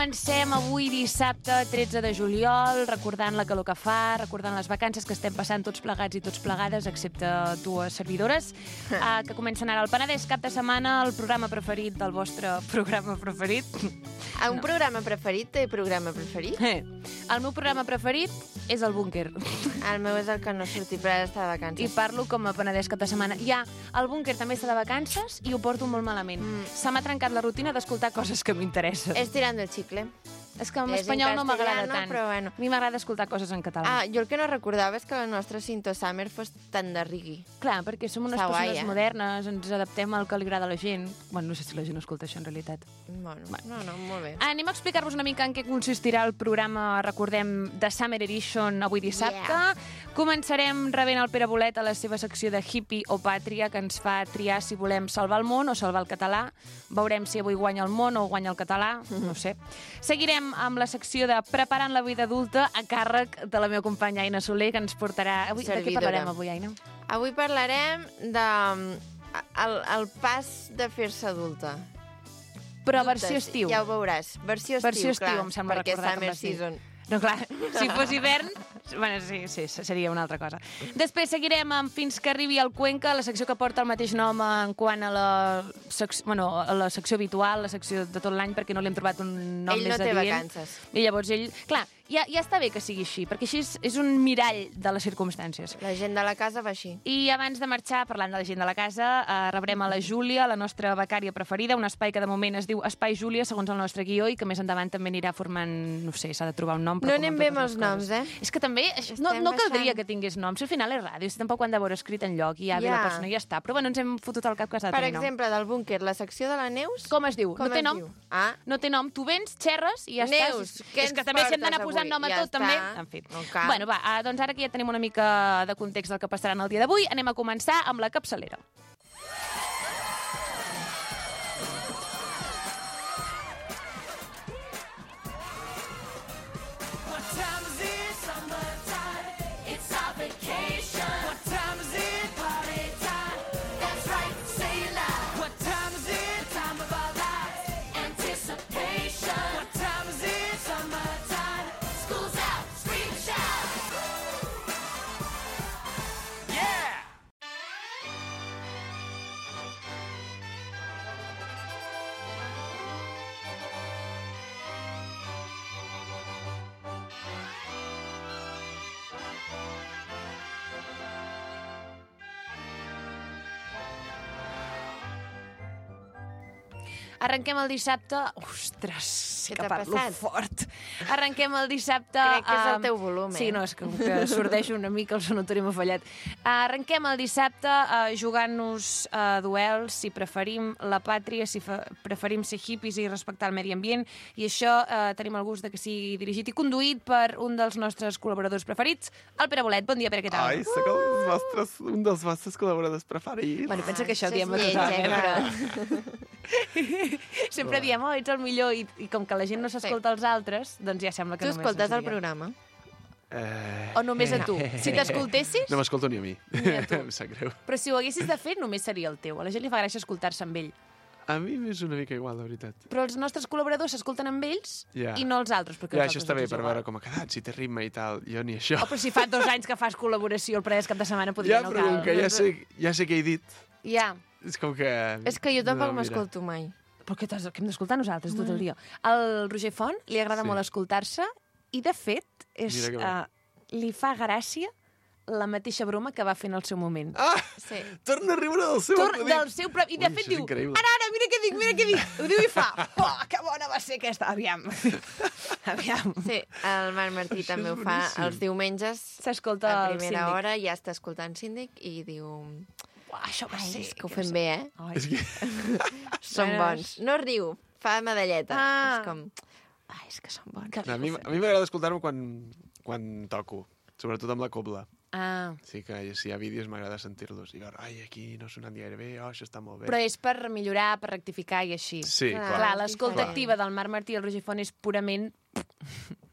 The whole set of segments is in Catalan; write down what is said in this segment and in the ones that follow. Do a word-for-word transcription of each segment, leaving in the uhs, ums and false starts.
Comencem avui dissabte tretze de juliol, recordant la calor que fa, recordant les vacances que estem passant tots plegats i tots plegades, excepte dues servidores, uh, que comencen ara al Penedès cap de setmana, el programa preferit del vostre programa preferit. A un no. programa preferit té programa preferit? Eh. El meu programa preferit és el Búnquer. El meu és el que no surti, però ara està de vacances. I parlo com a Penedès cap de setmana. Ja, el Búnquer també està de vacances i ho porto molt malament. Mm. Se m'ha trencat la rutina d'escoltar coses que m'interessen. És tirant el xicle. És que en espanyol no m'agrada tant. Però bueno. A mi m'agrada escoltar coses en català. Ah, jo el que no recordava és que la nostra Cinto Summer fos tan de rigui. Clar, perquè som unes Està persones guai, eh? modernes, ens adaptem al que li agrada a la gent. Bueno, no sé si la gent escolta això en realitat. Bueno, no, no, molt bé. Anem a explicar-vos una mica en què consistirà el programa, recordem, de Summer Edition avui dissabte. Yeah. Començarem rebent el Pere Bolet a la seva secció de hippie o pàtria, que ens fa triar si volem salvar el món o salvar el català. Veurem si avui guanya el món o guanya el català, no sé. Seguirem amb la secció de Preparant la vida adulta a càrrec de la meva companya Aina Soler, que ens portarà... Avui, de què parlarem avui, Aina? Avui parlarem de el, el pas de fer-se adulta. Però versió estiu. Ja ho veuràs. Versió estiu, versió estiu, clar, em sembla perquè recordar Summer com es diu. Season. No, clar, si fos hivern, bueno, sí, sí, seria una altra cosa. Després seguirem amb Fins que arribi al Cuenca, la secció que porta el mateix nom en quant a la, secció, bueno, a la secció habitual, la secció de tot l'any, perquè no li hem trobat un nom ell més no té adient. vacances. I llavors ell... Clar, ja, ja està bé que sigui així, perquè així és, és un mirall de les circumstàncies. La gent de la casa va així. I abans de marxar, parlant de la gent de la casa, eh, rebrem a la Júlia, la nostra becària preferida, un espai que de moment es diu Espai Júlia, segons el nostre guió, i que més endavant també anirà formant, no sé, s'ha de trobar un nom. Però no anem bé amb els noms, eh? És que també no, no caldria que tingués noms, al final és ràdio, si tampoc ho han d'haver escrit enlloc i ja ve ja. la persona i ja està. Però bueno, ens hem fotut al cap que s'ha de Per tenir nom. exemple, del Búnquer, la secció de la Neus... Com es diu? Com no té es nom? Diu? Ah. No té nom. Tu vens, xerres i ja Neus, estàs. què És que ens també si hem d'anar portes posant avui? nom a Ja tot, està. també. En fi. No cal. Bueno, va, doncs ara que ja tenim una mica de context del que passarà en el dia d'avui, anem a començar amb la capçalera. Arrenquem el dissabte... Ostres, sí que parlo passat? fort. Arrenquem el dissabte... Crec que és el um, teu volum, eh? Sí, no, és que, que sordeixo una mica, el sonotori m'ha fallat. Arrenquem el dissabte uh, jugant-nos uh, duels, si preferim la pàtria, si preferim ser hippies i respectar el medi ambient, i això uh, tenim el gust de que sigui dirigit i conduït per un dels nostres col·laboradors preferits, el Pere Bolet. Bon dia, Pere, què tal? Ai, sóc el vostres, un dels vostres col·laboradors preferits. Bueno, pensa que això ho Això diem és a tothom, lleig, eh, eh, però... Sempre diem, oh, ets el millor, i, i com que la gent no s'escolta els altres, doncs ja sembla que Tu només... escoltes el ens diem. programa? Eh... O només a tu? Si t'escoltessis... No m'escolto ni a mi. Ni a tu. Em sap greu. Però si ho haguessis de fer, només seria el teu. A la gent li fa gràcia escoltar-se amb ell. A mi m'és una mica igual, la veritat. Però els nostres col·laboradors s'escolten amb ells Ja. i no els altres. Perquè Ja, els això altres està bé, els és per igual. veure com ha quedat, si té ritme i tal. Jo ni això. Oh, però si fa dos anys que fas col·laboració el Penedès cap de setmana, podria Ja, no però cal. com que ja sé, ja sé què he dit, Ja. és com que... És que jo tampoc No, mira. m'escolto mai. Però què, t'has- què hem d'escoltar nosaltres tot el dia? Al Roger Font li agrada Sí. molt escoltar-se i, de fet, és, Mira que bé. uh, li fa gràcia la mateixa broma que va fer en el seu moment. Ah! Sí. Torna a riure del seu Tor acudit. del seu propi... I de Ui, fet això és diu, increïble. ara, ara, mira què dic, mira què dic. Ho diu i fa, oh, que bona va ser aquesta. Aviam. Aviam. Sí, el Marc Martí Això també és ho fa boníssim. els diumenges. S'escolta A el primera síndic. hora ja està escoltant síndic i diu... Uah, això va Ai, ser... és que ho fem bé, eh? Ai. És que... Són bons. No riu, fa medalleta. Ah. És com... Ai, és que són bons. A mi, a mi m'agrada escoltar-ho quan, quan toco, sobretot amb la cobla. Ah, Sí que si hi ha vídeos m'agrada sentir-los i veure, ai, aquí no ha sonat gaire bé, oh, això està molt bé. però és per millorar, per rectificar i així. Sí, Clar. clar. Clar, l'escolta Clar. activa del Marc Martí i el Roger Font és purament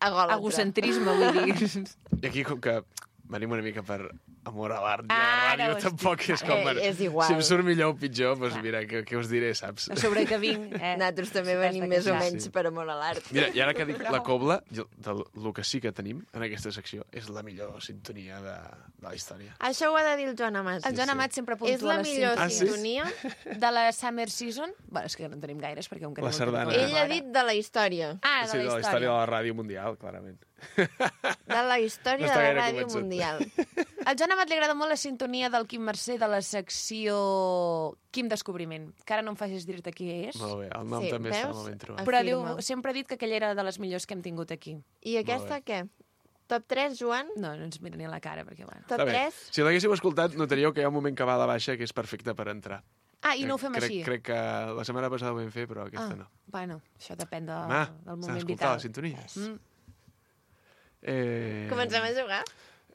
Egòlatra. egocentrisme, vull dir. I aquí, com que venim una mica per amor a l'art. I Ara a la ràdio ho estic- tampoc és com... Eh, és igual. Si em surt millor o pitjor, doncs mira, què, què us diré, saps? A sobre que vinc... Eh? Nosaltres també Si t'has venim de més o queixar. menys per amor a l'art. Mira, i ara que dic la cobla, jo, del el que sí que tenim en aquesta secció és la millor sintonia de, de la història. Això ho ha de dir el Joan Amat. El Joan sí. Amat sempre És puntua la les millor Ah, sí? sintonia. de la Summer Season. Bueno, és que no en tenim gaires, perquè un La sardana. Ell ha dit de la història. Ah, de Sí, la de la història història. de la ràdio mundial, clarament. De la història No de està la gaire ràdio convençut. mundial. Al Joan Amat li agrada molt la sintonia del Quim Mercè de la secció Quim Descobriment, que ara no em facis dir-te qui és. Molt bé, el nom Sí, també està veus? molt ben trobat. Ah, Però Afirma. diu, sempre ha dit que aquella era de les millors que hem tingut aquí. I aquesta què? Top tres, Joan? No, no ens mira ni a la cara, perquè, bueno... Top Està bé. tres? Si l'haguéssiu escoltat, notaríeu que hi ha un moment que va a la baixa que és perfecte per entrar. Ah, i no ho fem crec, així? Crec que la setmana passada ho vam fer, però aquesta ah, no. bueno, això depèn de, Home, del s'ha moment d'escoltar vital. la sintonia. Mm. Eh... Comencem a jugar?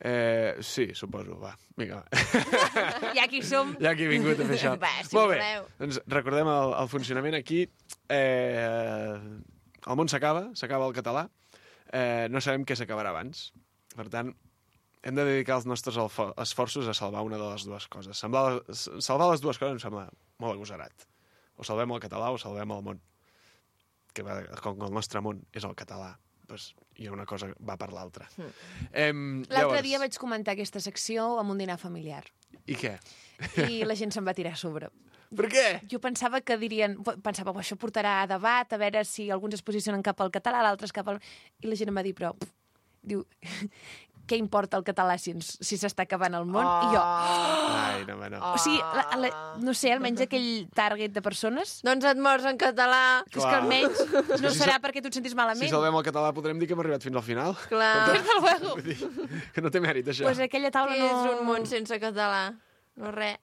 Eh, sí, suposo, va. Vinga, va. Ja aquí som. Ja que he vingut a fer això. Va, si Molt bé, voleu. doncs recordem el, el funcionament aquí. Eh, el món s'acaba, s'acaba el català. Eh, no sabem què s'acabarà abans. Per tant, hem de dedicar els nostres alfo- esforços a salvar una de les dues coses. Semblar, salvar les dues coses em sembla molt agosarat. O salvem el català o salvem el món. Que va, com que el nostre món és el català, doncs hi ha una cosa que va per l'altra. Mm. Eh, L'altre llavors- dia vaig comentar aquesta secció amb un dinar familiar I què? i la gent se'n va tirar a sobre. Per què? Jo pensava que dirien... Pensava, això portarà a debat, a veure si alguns es posicionen cap al català, l'altre cap al... I la gent em va dir, però... Pff, diu, què importa el català si ens- si s'està acabant el món? Oh. I jo... Ai, no, home, no. O sigui, la, la, no sé, almenys aquell target de persones... Doncs et mors en català. Que és que Clar. almenys no si serà sa- perquè tu et sentis Si malament. salvem el català podrem dir que hem arribat fins al final. Clar. Desde luego. Vull dir, que no té mèrit, això. Pues aquella taula Què no... és un món sense català? No res.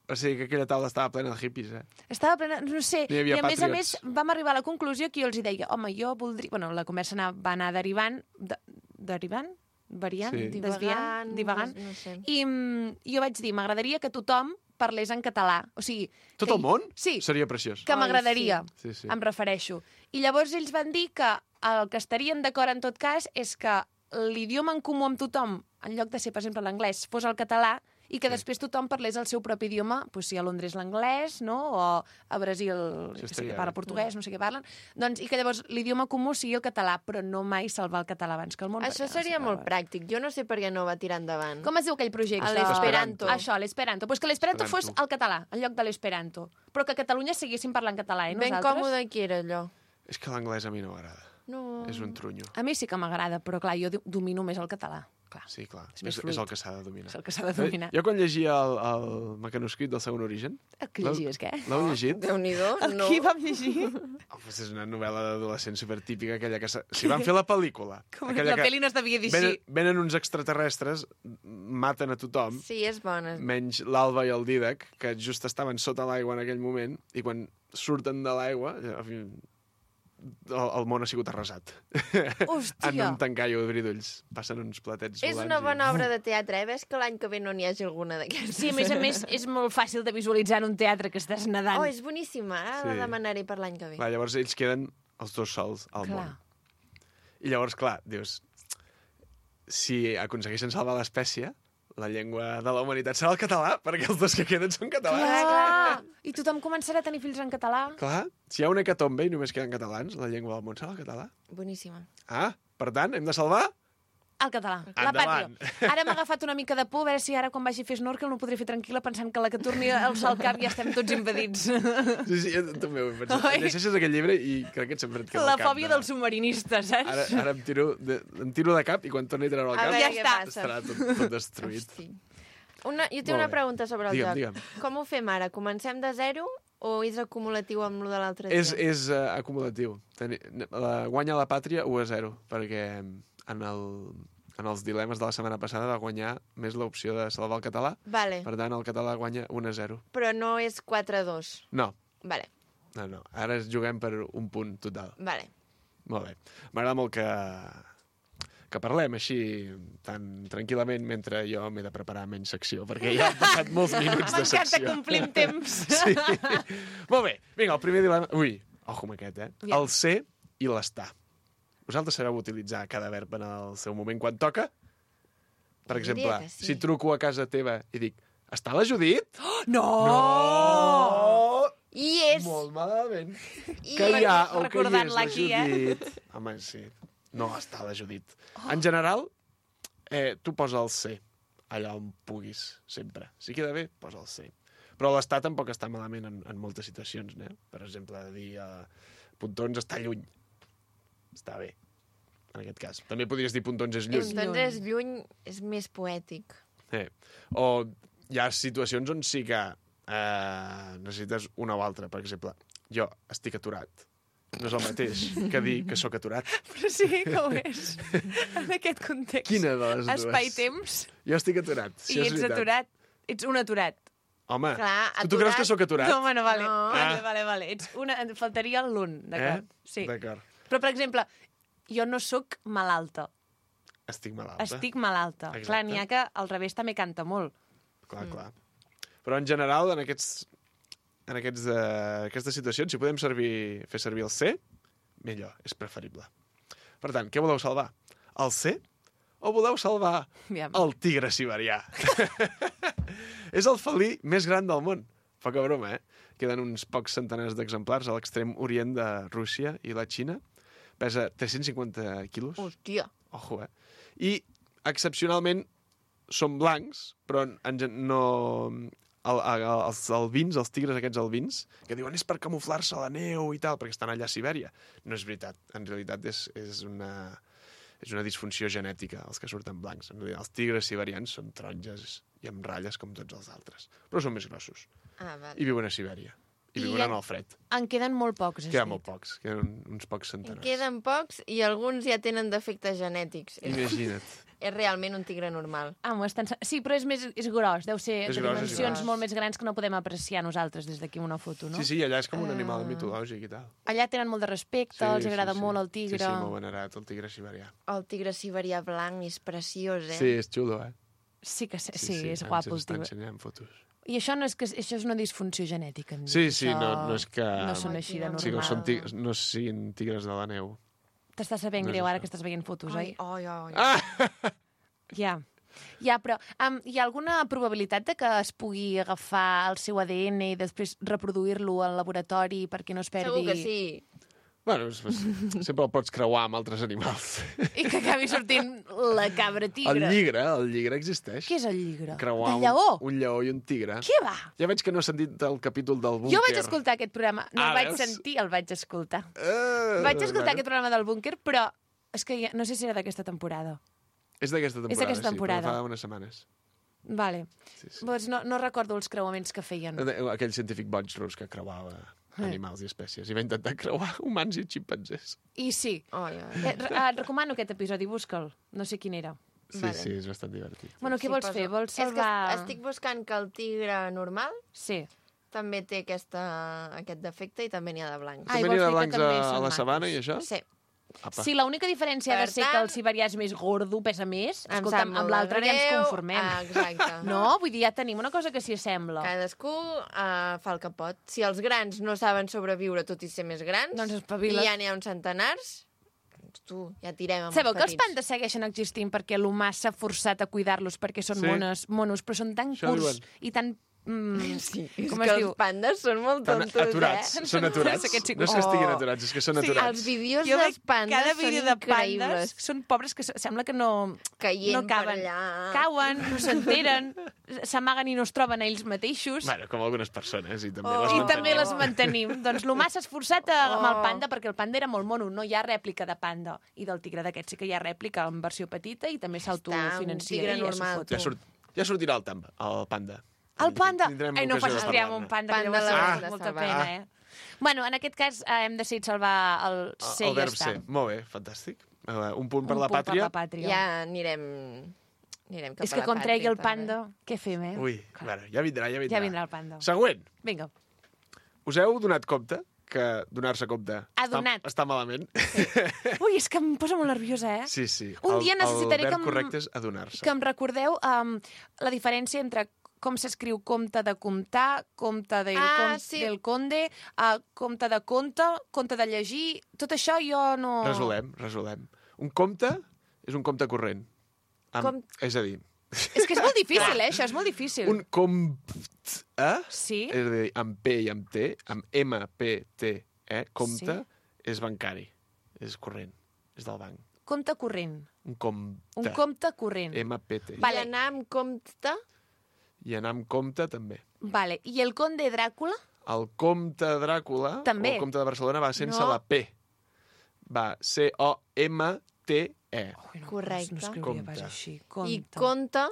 O sigui, que aquella taula estava plena de hippies, eh? Estava plena, no sé, Hi havia i a més a més patriots. vam arribar a la conclusió que jo els hi deia, home, jo voldria... Bueno, la conversa anar, va anar derivant... De, derivant? Variant? Sí. Desviant? Divagant? No, no sé. I mm, jo vaig dir, m'agradaria que tothom parlés en català. O sigui... Tot que, el món? Sí, Seria preciós. que Ai, m'agradaria, Sí, sí. em refereixo. I llavors ells van dir que el que estarien d'acord en tot cas és que l'idioma en comú amb tothom, en lloc de ser, per exemple, l'anglès, fos el català, i que Sí. després tothom parlés el seu propi idioma, doncs si a Londres l'anglès, no? O a Brasil, Això que sé estaria que parla bé. portuguès, no sé què parlen, doncs, i que llavors l'idioma comú sigui el català, però no mai salvar el català abans que el món. Això perquè no seria s'acaba. molt pràctic. Jo no sé per què no va tirar endavant. Com es diu aquell projecte? A l'esperanto. Això, l'esperanto. Pues que l'esperanto fos Esperanto. el català, en lloc de l'esperanto. Però que a Catalunya seguéssim parlant català, eh, Ben nosaltres? còmode qui era allò. És que l'anglès a mi no m'agrada. No. És un trunyo. A mi sí que m'agrada, però clar, jo do- domino més el català. Clar, Sí, clar. És És, més és, fluid. el que s'ha de dominar. és el que s'ha de dominar. Jo quan llegia el, el mecanoscrit del segon origen... Que llegies, què? L'heu llegit? Déu-n'hi-do, no. Qui vam llegir? Oh, pues és una novel·la d'adolescent supertípica, aquella que... s'ha- Si van fer la pel·lícula... Com aquella la que pel·li no es devia dir venen, així. venen uns extraterrestres, maten a tothom, Sí, és bona. menys l'Alba i el Dídac, que just estaven sota l'aigua en aquell moment, i quan surten de l'aigua, en fi, el, el món ha sigut arrasat. Hòstia! En un tancallo de bridolls. Passen uns platets És volants. una i- bona obra de teatre, eh? Ves que l'any que ve no n'hi hagi alguna d'aquestes. Sí, a més a més, és molt fàcil de visualitzar en un teatre que estàs nedant. Oh, és boníssima. Ara Sí. la demanaré per l'any que ve. Clar, llavors ells queden els dos sols al Clar. món. I llavors, clar, dius, si aconsegueixen salvar l'espècie, la llengua de la humanitat serà el català, perquè els dos que queden són catalans. Clar! I tothom començarà a tenir fills en català. Clar, si hi ha una hecatombe i només queden catalans, la llengua del món serà el català. Boníssima. Ah, per tant, hem de salvar... El català, la Endavant. pàtria. Ara m'ha agafat una mica de por, a veure si ara quan vagi a fer snorkel no podré fer tranquil·la pensant que la que torni al sol cap ja estem tots invadits. Sí, sí, jo també ho he pensat. Oi? Llegeixes aquest llibre i crec que et sempre et queda La el cap fòbia de... del submarinista, saps? Ara, ara em, tiro de, em tiro de cap i quan torni a treure el A cap veure Ja què està. passa. estarà tot, tot destruït. Hosti. Una, jo tinc Molt una bé. pregunta sobre el Digue'm, joc. digue'm. Com ho fem ara? Comencem de zero o és acumulatiu amb lo de l'altre dia? És, és uh, acumulatiu. Teni, la, guanya la pàtria u a zero, perquè en, el, en els dilemes de la setmana passada va guanyar més l'opció de salvar el català. Vale, Per tant, el català guanya un a zero. però no és quatre a dos. No, Vale, no, no. Ara juguem per un punt total. vale. Molt bé. M'agrada molt que, que parlem així tan tranquil·lament mentre jo m'he de preparar menys secció, perquè ja han passat molts minuts de M'encanta secció. complir amb temps. Sí. Molt bé. Vinga, el primer dilema... Ui, ojo amb aquest, eh? Aviam. El ser i l'estar. Vosaltres sabeu utilitzar cada verb en el seu moment quan toca? Per Jo diria exemple, que sí. si truco a casa teva i dic, està la Judit? Oh, no! No! I és... Molt malament. I... Que hi ha o que hi és Recordant-la la aquí, eh? Judit. Home, sí. No està la Judit. En general, eh, tu posa el C allà on puguis, sempre. Si queda bé, posa el C. Però l'estar tampoc està malament en, en moltes situacions, eh? Per exemple, dir uh, Pontons està lluny. Està bé, en aquest cas. També podries dir Pontons és lluny. Doncs és lluny, és més poètic. Eh. O hi ha situacions on sí que eh, necessites una o altra. Per exemple, jo estic aturat. No és el mateix que dir que sóc aturat. Però sí que ho és. En aquest context. Quina de les dues? Espai-temps Jo estic aturat. Sí, i és ets veritat. aturat. Ets un aturat. Home, Clar, tu, tu aturat- creus que sóc aturat? No, bueno, vale. No. Vale, Ah. vale, vale. Ets una... Et faltaria l'un, d'acord? Eh? Sí. D'acord. Però, per exemple, jo no sóc malalta. Estic malalta. Estic malalta. Exacte. Clar, n'hi ha que al revés també canta molt. Clar, clar. Però en general, en aquests en aquests, uh, aquestes situacions, si podem servir, fer servir el C, millor, és preferible. Per tant, què voleu salvar? El C? O voleu salvar Aviam. el tigre siberià? És el felí més gran del món. Poca broma, eh? Queden uns pocs centenars d'exemplars a l'extrem orient de Rússia i la Xina. Pesa tres-cents cinquanta quilos. Hòstia. Ojo, eh? I, excepcionalment, són blancs, però en, gen- no... El, el, els albins, els tigres aquests albins, que diuen és per camuflar-se a la neu i tal, perquè estan allà a Sibèria. No és veritat. En realitat és, és, una, és una disfunció genètica, els que surten blancs. En realitat, els tigres siberians són taronges i amb ratlles com tots els altres. Però són més grossos. Ah, vale. I viuen a Sibèria. I I viuen en- en el fred. En queden molt pocs, has Queden dit. molt pocs. Queden uns pocs En centenars. queden pocs i alguns ja tenen defectes genètics. És, Imagina't. és realment un tigre normal. Ah, m'ho estan... Sí, però és, més, és gros. Deu ser És de gros, és dimensions gros. molt més grans que no podem apreciar nosaltres des d'aquí una foto, no? Sí, sí, allà és com un animal Ah. mitològic i tal. Allà tenen molt de respecte, els agrada sí. molt el tigre. Sí, sí, molt venerat, el tigre siberià. El tigre siberià blanc és preciós, eh? Sí, és xulo, eh? Sí, que sí, sí, és ens guapo el està tigre. ensenyant fotos. I això no és, que, això és una disfunció genètica. em Sí, dius, sí, això no, no és que... No són així de normal. Sí, no, són tigres, no siguin tigres de la neu. T'està sabent no és greu ara això. que estàs veient fotos, Ai, oi? ai, ai. Ah! Ja. Ja, però um, hi ha alguna probabilitat de que es pugui agafar el seu A D N i després reproduir-lo al laboratori perquè no es perdi... Segur que sí. Bueno, és- és- sempre el pots creuar amb altres animals. I que acabi sortint la cabra tigre. El lligre, el lligre existeix. Què és el lligre? Creuar De lleó? Un, un lleó i un tigre. Què va? Ja veig que no has sentit el capítol del búnquer. Jo vaig escoltar aquest programa. No Ah, el vaig veus? sentir, el vaig escoltar. Uh, Vaig escoltar aquest programa del búnquer, però és que ja, no sé si era d'aquesta temporada. És d'aquesta temporada, És d'aquesta temporada. sí, però fa unes setmanes. Vale. Sí, sí. Doncs no, no recordo els creuaments que feien. Aquell científic boig rus que creuava animals i espècies i va intentar creuar humans i ximpanzés. I sí. Ai, ai. Eh, re- et recomano aquest episodi, busca'l. No sé quin era. Sí, Vale. sí, és bastant divertit. Bueno, què Sí, vols poso- fer? Vols És que salvar... est- estic buscant que el tigre normal Sí. també té aquesta, aquest defecte i també n'hi ha de blancs. Ai, També vols n'hi ha dir que blancs també a, a són la macos. sabana i això? Sí. Apa. Sí, l'única diferència ha de Per ser que el tant- siberià és més gordo, pesa més. Em Escolta'm, sap molt amb l'altre de ja ens greu. conformem. Ah, exacte. No? Vull dir, ja tenim una cosa que s'hi assembla. Cadascú uh, fa el que pot. Si els grans no saben sobreviure tot i ser més grans, Doncs espavila't. i ja n'hi ha uns centenars, doncs tu, ja tirem amb Sabeu els que els petits. pandes segueixen existint perquè l'humà s'ha forçat a cuidar-los perquè són Sí. mones, monos, però són tan Això curts diuen. i tan... Mm, Sí, és com que es els diu? pandes són molt Estan tontos, aturats. eh? Són aturats. Aquests sí- No és que estiguin Oh. aturats, és que són Sí, aturats. Els vídeos Jo dels veig pandes cada són vídeo de pandes increïbles. són pobres que se- sembla que no, Caient no caben. per allà. Cauen, no s'enteren, s'amaguen i no es troben a ells mateixos. Bueno, com algunes persones, i també Oh. les I mantenim. també les mantenim. Doncs l'humà s'ha esforçat a, amb el Oh. panda perquè el panda era molt mono, no hi ha rèplica de panda. I del tigre d'aquest sí que hi ha rèplica en versió petita i també s'autofinancia. tigre i ja s'ho normal, fot. Ja, surt, ja sortirà el, tamba, el panda. El panda? Tindrem Ai, no ocasió de facis crear parlar-ne. un panda, Panda que llavors l'haurem fa de molta salvar. pena, eh? Bueno, en aquest cas eh, hem decidit salvar el C el i ja verb està. ser. Molt bé, fantàstic. Uh, un punt per Un la punt pàtria. per la pàtria. Ja anirem, anirem cap És a que la com tregui pàtria, el també. panda, què fem, eh? Ui, bueno, ja vindrà, ja vindrà. Ja vindrà el panda. Següent. Vinga. Us heu donat compte que donar-se compte Ha està, donat. està malament? Ui, és que em posa molt nerviosa, eh? Sí, sí. Un el, dia necessitaré el que verb em- correcte és adonar-se. Que em recordeu um, la diferència entre com s'escriu compte de comptar, compte del, Ah, con sí. del conde, uh, compte de conte, compte de llegir... Tot això jo no... Resolem, resolem. Un compte és un compte corrent. Amb, Com- És a dir, És que és molt difícil, eh? Això és molt difícil. Un compte, Sí? és a dir, amb P i amb T, amb M, P, T, E, compte, Sí. és bancari, és corrent, és del banc. Compte corrent. Un compte. Un compte corrent. M, P, T. Vale. I anar amb compte... I anar amb compte, també. Vale. I el conde Dràcula? El comte Dràcula, També. o el comte de Barcelona, va sense No. la P. Va C O M T E. Ui, no, Correcte. No escriuria Compte. pas així. Compte. I conte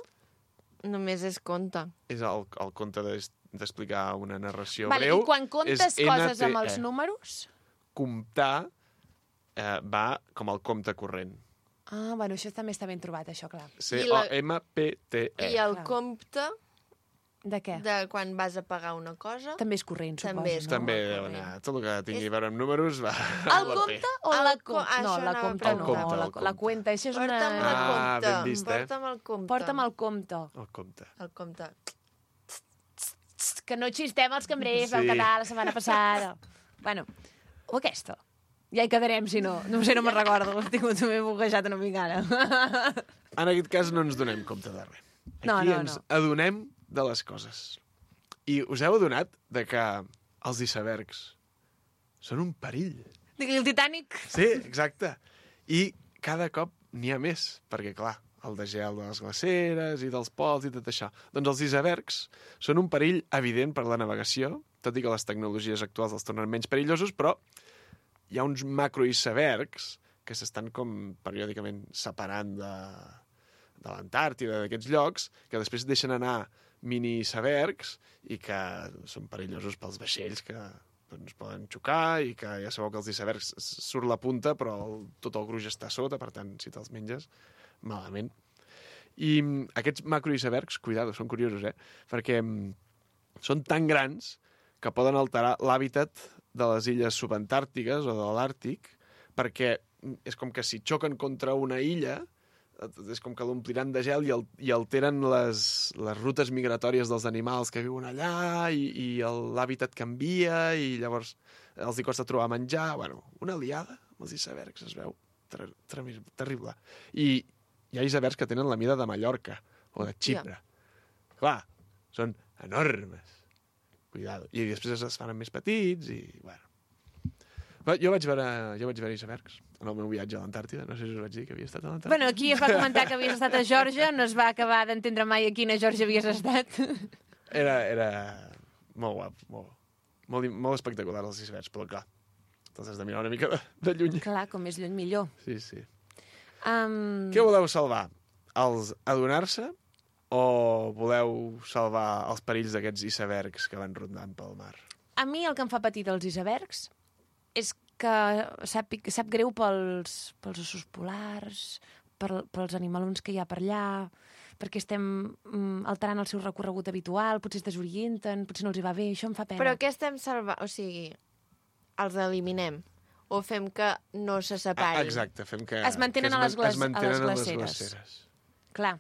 només és conte. És el, el conte des- d'explicar una narració Vale, breu. I quan comptes és coses amb N T E. els números? Comptar eh, va com el compte corrent. Ah, bueno, això també està ben trobat, això, clar. C I O la- M P T E. I el Clar. compte De què? de quan vas a pagar una cosa... També és corrent, suposo. També és no? També el deu corrent. anar. Tot el que tingui És- a veure amb números va El amb la P. compte o El la co- compte? No, això la anava a compte no, preguntar. la, El compte, la el cuenta. Això és Porta'm una... el Ah, compte. ben vist, eh? Porta'm el compte. Porta'm el compte. El compte. El compte. Txt, que no xistem els cambrers del Sí. català la setmana passada. Bueno, o aquesta. Ja hi quedarem, si no. No sé, no me'n recordo. He tingut m'he buguejat una mica ara. En aquest cas no ens donem compte de res. Aquí No, no, ens no. adonem de les coses. I us heu adonat de que els icebergs són un perill. Digui el Titanic. Sí, exacte. I cada cop n'hi ha més, perquè, clar, el degel de les glaceres i dels pols i tot això. Doncs els icebergs són un perill evident per la navegació, tot i que les tecnologies actuals els tornen menys perillosos, però hi ha uns macroicebergs que s'estan com periòdicament separant de, de l'Antàrtida, d'aquests llocs, que després deixen anar mini-icebergs i que són perillosos pels vaixells que doncs, poden xocar i que ja sabeu que els icebergs s- surt la punta però el, tot el gruix està a sota, per tant, si te'ls menges, malament. I mm, aquests macroicebergs, cuidado, són curiosos, eh? Perquè mm, són tan grans que poden alterar l'hàbitat de les illes subantàrtiques o de l'Àrtic, perquè mm, és com que si xoquen contra una illa, eh, és com que l'ompliran de gel i, el, i alteren les, les rutes migratòries dels animals que viuen allà i, i el- l'hàbitat canvia i llavors els hi costa trobar menjar. Bueno, una liada amb els icebergs, es veu ter ter terrible. I hi ha icebergs que tenen la mida de Mallorca o de Xipre. Clar, són enormes. Cuidado. I després es fan més petits i, bueno. Però jo vaig veure, jo vaig veure icebergs en el meu viatge a l'Antàrtida. No sé si us vaig dir que havia estat a l'Antàrtida. Bueno, aquí es va comentar que havies estat a Geòrgia, no es va acabar d'entendre mai a quina Geòrgia havies estat. Era, era molt guap, molt, molt, molt espectacular els icebergs, però clar, te'ls has de mirar una mica de, de lluny. Clar, com més lluny millor. Sí, sí. Um... Què voleu salvar? Els adonar-se o voleu salvar els perills d'aquests icebergs que van rondant pel mar? A mi el que em fa patir dels icebergs és que sap, sap greu pels, pels ossos polars, per, pels animalons que hi ha per allà, perquè estem mm, alterant el seu recorregut habitual, potser es desorienten, potser no els hi va bé, això em fa pena. Però què estem salvant? O sigui, els eliminem? O fem que no se Ah, separin? exacte, fem que... Es mantenen que a les glas- es mantenen a les a les glaceres. glaceres. Clar,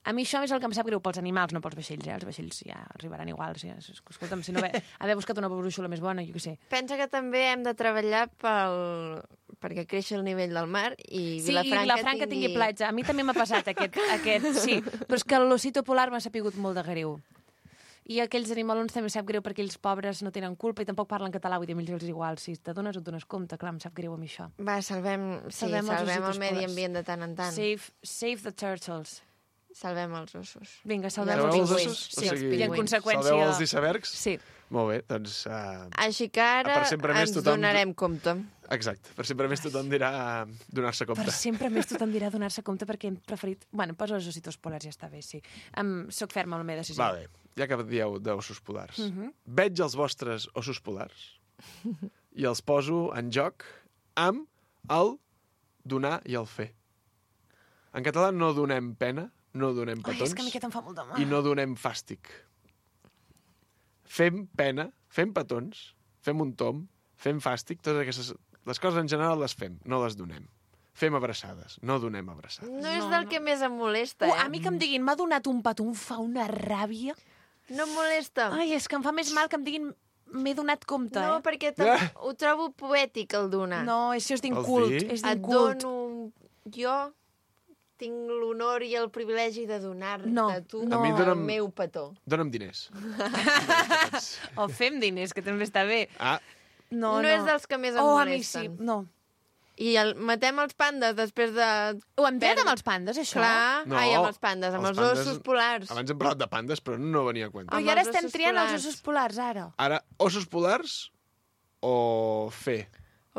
a mi això és el que em sap greu pels animals, no pels vaixells, eh? Els vaixells ja arribaran igual. Ja. Escolta'm, si no haver, haver buscat una brúixola més bona, jo què sé. Pensa que també hem de treballar pel... perquè creixi el nivell del mar i Sí, Vilafranca, i Vilafranca tingui... tingui platja. A mi també m'ha passat aquest, aquest, sí. Però és que l'ossito polar m'ha sapigut molt de greu. I aquells animalons també sap greu perquè ells pobres no tenen culpa i tampoc parlen català, vull dir, a ells els és igual. Si t'adones o et dones compte, clar, em sap greu a mi això. Va, salvem, sí, Salvem salvem, els salvem ossitos el medi polars. ambient de tant en tant. Save, save the turtles. Salvem els ossos. Vinga, salvem Salveu els els pingüins. ossos? Sí, O els sigui, i en conseqüència... Salveu els icebergs? Sí. Molt bé, doncs... Uh, Així que ara Per sempre més ens tothom- donarem compte. exacte, per sempre més tothom dirà donar-se compte. Per sempre més tothom dirà donar-se compte perquè hem preferit... Bueno, posa els ossitos polars, ja està bé, sí. Um, soc ferma amb la meva decisió. Vale, ja que dieu d'ossos polars. Uh -huh. Veig els vostres ossos polars i els poso en joc amb el donar i el fer. En català no donem pena, no donem Ai, petons és que a mi aquest em fa molt de mal. i no donem fàstic. Fem pena, fem petons, fem un tom, fem fàstic, totes aquestes... Les coses en general les fem, no les donem. Fem abraçades, no donem abraçades. No és No, del no. que més em molesta, Uh, eh? a mi que em diguin m'ha donat un petó, em fa una ràbia. No em molesta. Ai, és que em fa més mal que em diguin m'he donat compte, No, eh? perquè tam- ho trobo poètic, el donar. No, això és Vols d'incult, dir? és Et d'inkult. dono jo tinc l'honor i el privilegi de donar-te No, a tu no. A mi el dona'm- meu petó. Dóna'm diners. O fem diners, que també està bé. Ah, No, No no. és dels que més em oh, a mi molesten. sí, no. I el, matem els pandes després de... Ho hem tret Per- amb els pandes, això? Clar, No, ai, amb els pandes, amb els els, pandes- ossos polars. abans hem parlat de pandes, però no venia a compte. Però amb i ara els estem ossos triant polars. els ossos polars, ara. Ara, ossos polars o fer?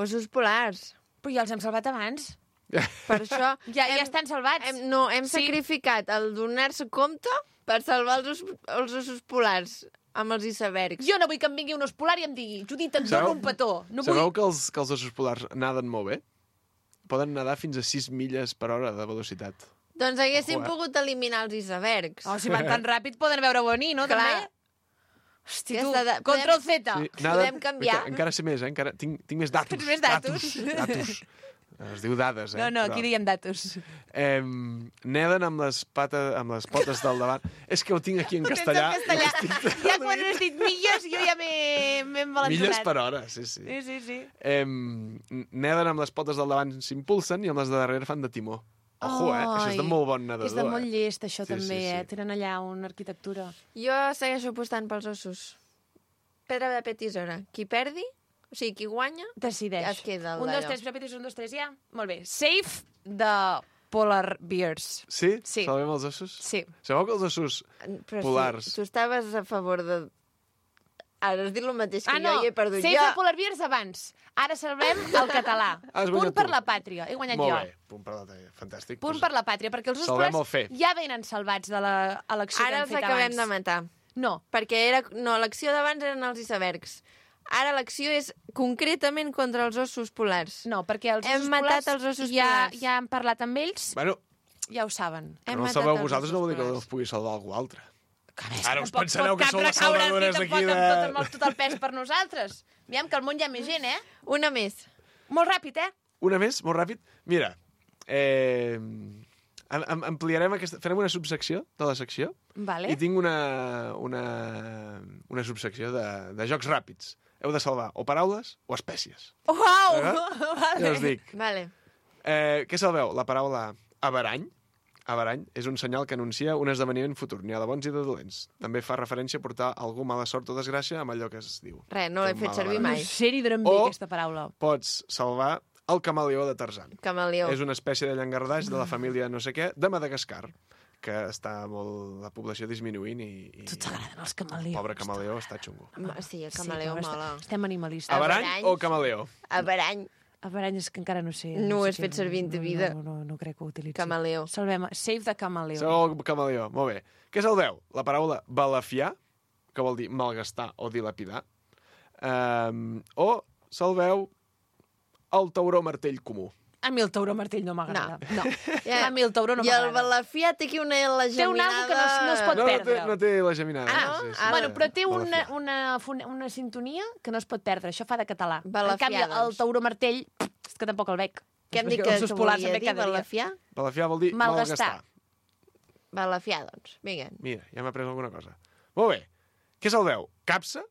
Ossos polars. Però ja els hem salvat abans. Per això... Ja, ja estan salvats. Hem, no, hem Sí. sacrificat el donar-se compte per salvar els, os, els ossos polars amb els icebergs. Jo no vull que em vingui un os polar i em digui Judit, et Sabeu- dono un petó. No Sabeu vull... que els, que els ossos polars naden molt bé? Poden nedar fins a sis milles per hora de velocitat. Doncs haguéssim Ojo, eh? pogut eliminar els icebergs. Oh, si van tan ràpid poden veure venir, no? Clar. També? Hosti, Ja tu, està, de- control Z. podem canviar. Encara, encara sé més, eh? Encara, tinc, tinc més datos. Tens més datos? Datos. datos. Es diu dades, eh? No, no, Però, aquí diem datos. Eh, neden amb les, pates, amb les potes del davant. És que ho tinc aquí en Ho tens castellà. en castellà. Ja quan has dit milles, jo ja m'he m'he envalentonat. Milles per hora, sí, sí. Sí, sí, sí. Eh, neden amb les potes del davant, s'impulsen, i amb les de darrere fan de timó. Ojo, eh? Això és de Ai, molt bon nedador. És de molt eh? llest, això, Sí, també, sí, sí. eh? Tenen allà una arquitectura. Jo segueixo apostant pels ossos. Pedra de petisora. Qui perdi, o sigui, qui guanya, Decideix. ja es queda el Un, dos, d'allò. tres, repetis, un, dos, tres, ja. Molt bé. Safe de Polar Bears. Sí? Sí. Salvem els ossos? Sí. Sabeu que els ossos Però polars... Si, tu estaves a favor de... Ara has dit el mateix que Ah, no. jo i he perdut Safe jo. de Polar Bears abans. Ara salvem el català. Has Punt guanyat per tu. la pàtria. He guanyat Molt jo. bé, punt per la talla. Fantàstic. Punt Doncs per la pàtria, perquè els ossos salvem polars el fer. ja venen salvats de l'elecció que Ara hem els fet acabem abans. de matar. No. Perquè era... No, l'acció d'abans eren els icebergs. Ara l'acció és concretament contra els ossos polars. No, perquè els Hem ossos matat polars els ossos ja, polars. ja hem parlat amb ells, Bueno, ja ho saben. que Hem no els matat salveu els vosaltres no ossos vol dir que polars. els pugui salvar algú altre. Carai, Ara us tampoc pensareu pot que sou les cap recaure salvadores aquí d'aquí tampoc de... amb tot, amb tot el pes per nosaltres. Aviam, que al món hi ha més gent, eh? Una més. Molt ràpid, eh? Una més, molt ràpid. Mira, eh, am- am- ampliarem aquesta... Farem una subsecció de la secció Vale. i tinc una, una, una subsecció de, de jocs ràpids. Heu de salvar o paraules o espècies. Uau! Eh? Vale. Ja us dic. Vale. Eh, què salveu? La paraula averany. Averany és un senyal que anuncia un esdeveniment futur. N'hi ha de bons i de dolents. També fa referència a portar algú mala sort o desgràcia amb allò que es diu. Res, no l'he Té fet mala servir barra. mai. No sé ni d'on em ve O- aquesta paraula. Pots salvar el camaleó de Tarzan. Camaleó. És una espècie de llangardaix de la família no sé què, de Madagascar, que està molt... la població disminuint i... i Tu t'agraden els camaleons. Pobre camaleó està xungo. Ma- Sí, el camaleó però mola. est- Estem animalistes. Averany Averanys. o camaleó? Averany, Averany és que encara no sé. No ho sé has què- fet servir en ta vida. No, no, no, no crec que ho utilitzi. camaleó. Salvem, save de camaleó. Sabeu el camaleó? Molt bé. Què salveu? La paraula balafiar, que vol dir malgastar o dilapidar, um, o salveu el tauró martell comú. A mi el tauró martell no m'agrada. No. Ja. A mi el tauró no I el m'agrada. balafià té aquí una la Té un algo que no es- no es pot No, no té, perdre. no té la geminada. Ah, no? Sí, sí, Ah, Bueno, però té una, Balafiar. una, una, una sintonia que no es pot perdre. Això fa de català. Balafiar, en canvi, el doncs. tauró martell, és que tampoc el veig. Què hem dit Perquè que, els que polars volia em ve dir? cada dia. Balafià? Balafiar vol dir Malgastar. malgastar. Balafià, doncs. Vinga. Mira, ja m'ha après alguna cosa. Molt bé. Què salveu? Capsa,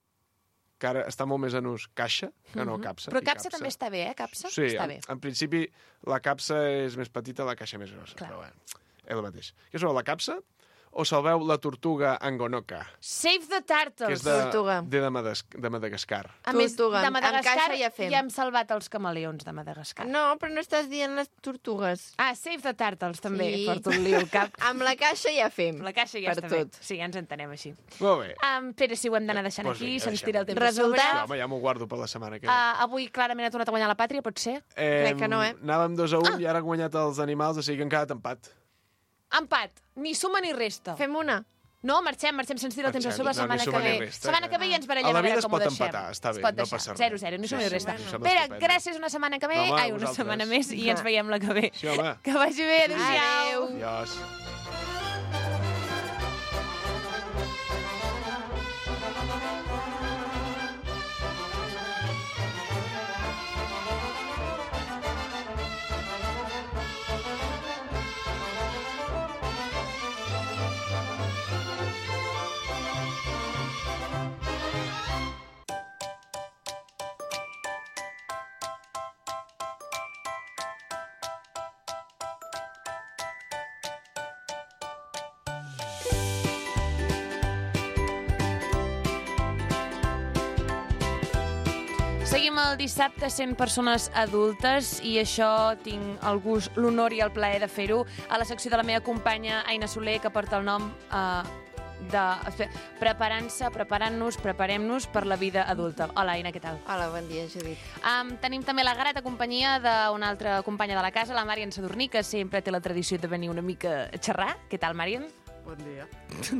que ara està molt més en ús caixa, que no capsa. Però i capsa també està bé, eh? Capsa? Sí, està en, bé. en principi la capsa és més petita, la caixa més grossa. Clar. Però bueno, és el mateix. Què salveu, la capsa o salveu la tortuga angonoca, Save the que turtles. és de, Tortuga. de, de, Madas de Madagascar? A més, Tortuga. de Amb Madagascar caixa ja fem. ja hem salvat els camaleons de Madagascar. No, però no estàs dient les tortugues. Ah, Save the Turtles, també. Sí. Porto un lío al cap. Amb la caixa ja fem. La caixa ja Per està tot. bé. Sí, ja ens entenem així. Molt bé. Um, Pere, si ho hem d'anar deixant Pues aquí, vinga, se'ns deixem-ho. tira el temps Resultat? a Sí, sobre. home, ja m'ho guardo per la setmana que ve. Uh, avui clarament ha tornat a guanyar la pàtria, pot ser? Eh, crec que no, eh? Anàvem dos a un Ah. i ara han guanyat els animals, o sigui que han quedat empat. Empat. Ni suma ni resta. Fem una. No, marxem, marxem, se'ns tira el temps a Marxem. sobre la No, ni setmana suma que ni ve. resta. Setmana que ve i ens A barallem la a vida veure es com ho pot deixem. empatar, està bé, Es pot no deixar. passa res. zero zero, ni suma Sí, ni sí, resta. em sembla Pere, estupendo. gràcies una setmana que ve. No, home, Ai, una vosaltres. setmana més i ens veiem la que ve. Sí, home. Que vagi bé, adéu-siau. Adéu. Adiós. Seguim el dissabte sent persones adultes i això tinc el gust, l'honor i el plaer de fer-ho a la secció de la meva companya Aina Soler, que porta el nom eh, de preparant-se, preparant-nos, preparem-nos per la vida adulta. Hola, Aina, què tal? Hola, bon dia, Judit. Um, tenim també la grata companyia d'una altra companya de la casa, la Màrian Sadurní, que sempre té la tradició de venir una mica a xerrar. Què tal, Màrian? Bon dia.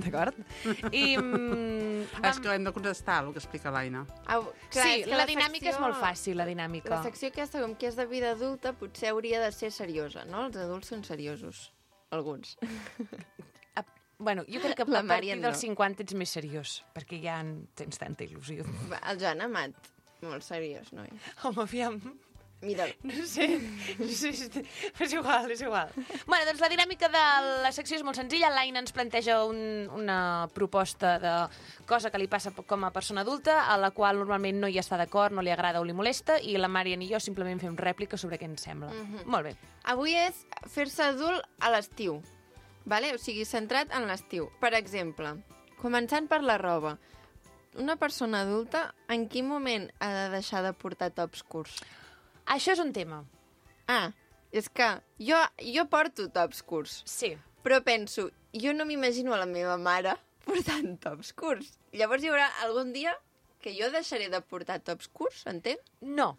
D'acord. I... Mm, vam... És que hem de contestar el que explica l'Aina. Au, clar, sí, és que la, la dinàmica secció... és molt fàcil, la dinàmica. La secció aquesta, com que és de vida adulta, potser hauria de ser seriosa, no? Els adults són seriosos. Alguns. Ah, bueno, jo crec que La a partir Màrian dels no. cinquanta ets més seriós, perquè ja en tens tanta il·lusió. Va, el Joan Amat, molt seriós, noi. Home, aviam... Mira'l. No sé, no sé, és igual, és igual. Bueno, doncs la dinàmica de la secció és molt senzilla. L'Aina ens planteja un, una proposta de cosa que li passa com a persona adulta, a la qual normalment no hi està d'acord, no li agrada o li molesta, i la Màrian i jo simplement fem rèplica sobre què ens sembla. Mhm. Molt bé. Avui és fer-se adult a l'estiu, vale? O sigui, centrat en l'estiu. Per exemple, començant per la roba, una persona adulta en quin moment ha de deixar de portar tops curts? Això és un tema. Ah, és que jo, jo porto tops curts, Sí. però penso, jo no m'imagino a la meva mare portant tops curts. Llavors hi haurà algun dia que jo deixaré de portar tops curts, entén? No.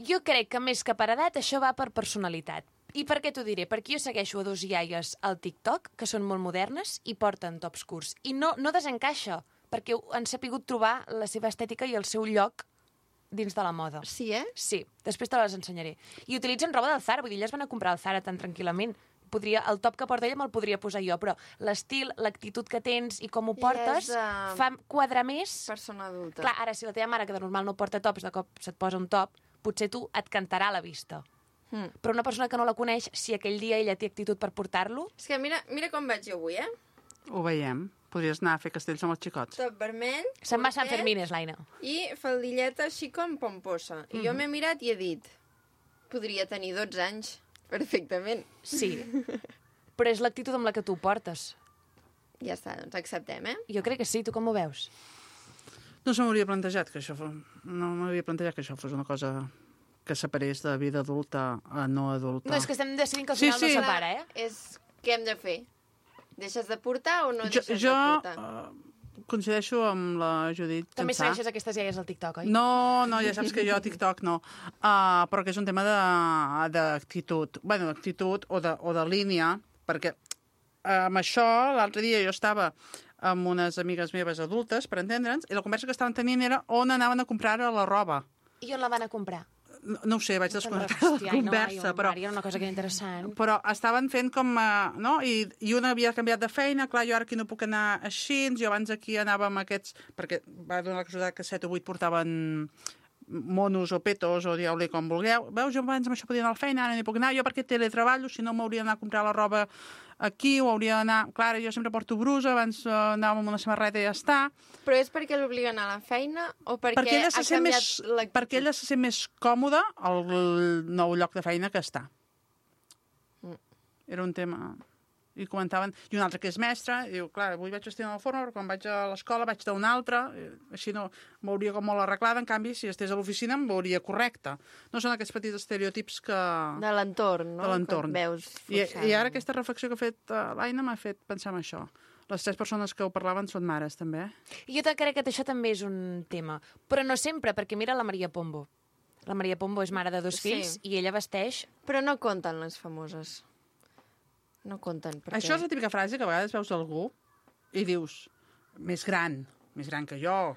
Jo crec que més que per edat això va per personalitat. I per què t'ho diré? Perquè jo segueixo a dos iaies al TikTok, que són molt modernes i porten tops curts. I no, no desencaixa, perquè han sapigut trobar la seva estètica i el seu lloc dins de la moda. Sí, eh? Sí, després te les ensenyaré. I utilitzen roba del Zara, vull dir, elles van a comprar al Zara tan tranquil·lament. Podria, el top que porta ella me'l podria posar jo, però l'estil, l'actitud que tens i com ho portes I és, uh, fa quadrar més. Persona adulta. Clar, ara, si la teva mare, que de normal no porta tops, de cop se't posa un top, potser tu et cantarà a la vista. Mm. Però una persona que no la coneix, si aquell dia ella té actitud per portar-lo... És que mira, mira com vaig jo avui, eh? Ho veiem. Podries anar a fer castells amb els xicots. Top vermell, Se'n va a Sant curtet Fermines, l'Aina. i faldilleta així com pomposa. I Mhm. jo m'he mirat i he dit, podria tenir dotze anys, perfectament. Sí, però és l'actitud amb la que tu ho portes. Ja està, doncs acceptem, eh? Jo crec que sí, tu com ho veus? No se m'hauria plantejat que això fos... No m'havia plantejat que això fos una cosa que separés de vida adulta a no adulta. No, és que estem decidint que al Sí, final sí. no separa, eh? És què hem de fer? Deixes de portar o no jo deixes jo de portar? uh, coincideixo amb la Judit. També Tensà. segueixes aquestes iaies al TikTok, oi? No, no, ja saps que jo a TikTok no. Uh, però que és un tema de- d'actitud. Bueno, d'actitud o, de, o de línia, perquè uh, amb això l'altre dia jo estava amb unes amigues meves adultes, per entendre'ns, i la conversa que estaven tenint era on anaven a comprar la roba. I on la van a comprar? No, no ho sé, vaig desconnectar la Hòstia, ai, no, conversa, ai, però... Mari, era una cosa que era interessant. Però estaven fent com... Uh, no? I, I una havia canviat de feina, clar, jo ara aquí no puc anar així, jo abans aquí anava amb aquests... Perquè va donar la casualitat que set o vuit portaven monos o petos o dieu-li com vulgueu. Veus, jo abans amb això podia anar a la feina, ara no hi puc anar, jo perquè teletreballo, si no m'hauria d'anar a comprar la roba aquí o hauria d'anar... Clar, jo sempre porto brusa, abans uh, anàvem amb una samarreta i ja està. Però és perquè l'obliguen a la feina o perquè, Perquè ella, ha se sent canviat més, l'actitud? perquè ella se sent més còmoda al nou lloc de feina que està. Mm. Era un tema... I comentaven... I un altre que és mestre, i diu, clar, avui vaig vestir d'una forma, però quan vaig a l'escola vaig d'una altra, així no m'hauria com molt arreglada, en canvi, si estés a l'oficina em veuria correcta. No són aquests petits estereotips que... De l'entorn, no? De l'entorn. Que et veus I, forçant. I ara aquesta reflexió que ha fet uh, l'Aina m'ha fet pensar en això. Les tres persones que ho parlaven són mares, també. I jo crec que això també és un tema. Però no sempre, perquè mira la Maria Pombo. La Maria Pombo és mare de dos Sí. fills i ella vesteix... Però no compten les famoses. No compten, perquè... Això és la típica frase que a vegades veus algú i dius, més gran, més gran que jo,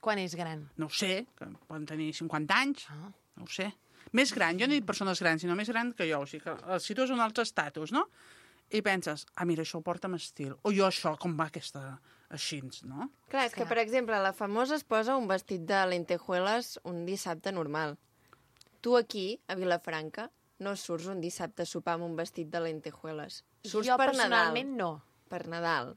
Quan és gran? no ho sé, que poden tenir cinquanta anys, Ah. no ho sé. Més gran, jo no dic persones grans, sinó més gran que jo, o sigui que el situes en un altre estatus, no? I penses, ah, mira, això ho porta amb estil. O jo això, com va aquesta així, no? Clar, és que, per exemple, la famosa es posa un vestit de lentejuelas un dissabte normal. Tu aquí, a Vilafranca, no surts un dissabte a sopar amb un vestit de lentejuelas. Surts jo per personalment Nadal. no. Per Nadal.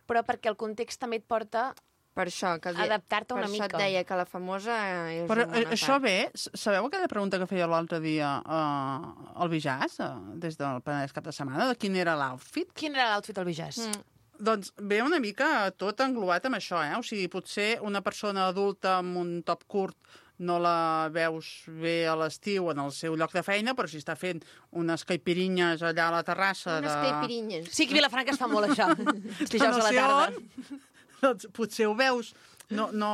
Però perquè el context també et porta... Per això, que el- Adaptar-te una per mica. això et deia que la famosa és Però una bona això part. ve, s- sabeu aquella pregunta que feia l'altre dia uh, el Bijàs, uh, des del Penedès cap de setmana, de quin era l'outfit? Quin era l'outfit del Bijàs? Mm. Doncs ve una mica tot englobat amb això, eh? O sigui, potser una persona adulta amb un top curt no la veus bé a l'estiu en el seu lloc de feina, però si està fent unes caipirinyes allà a la terrassa... Unes de... caipirinyes. Sí, que a Vilafranca es fa molt això. Els dijous no a la sé tarda. on, doncs potser ho veus, no, no,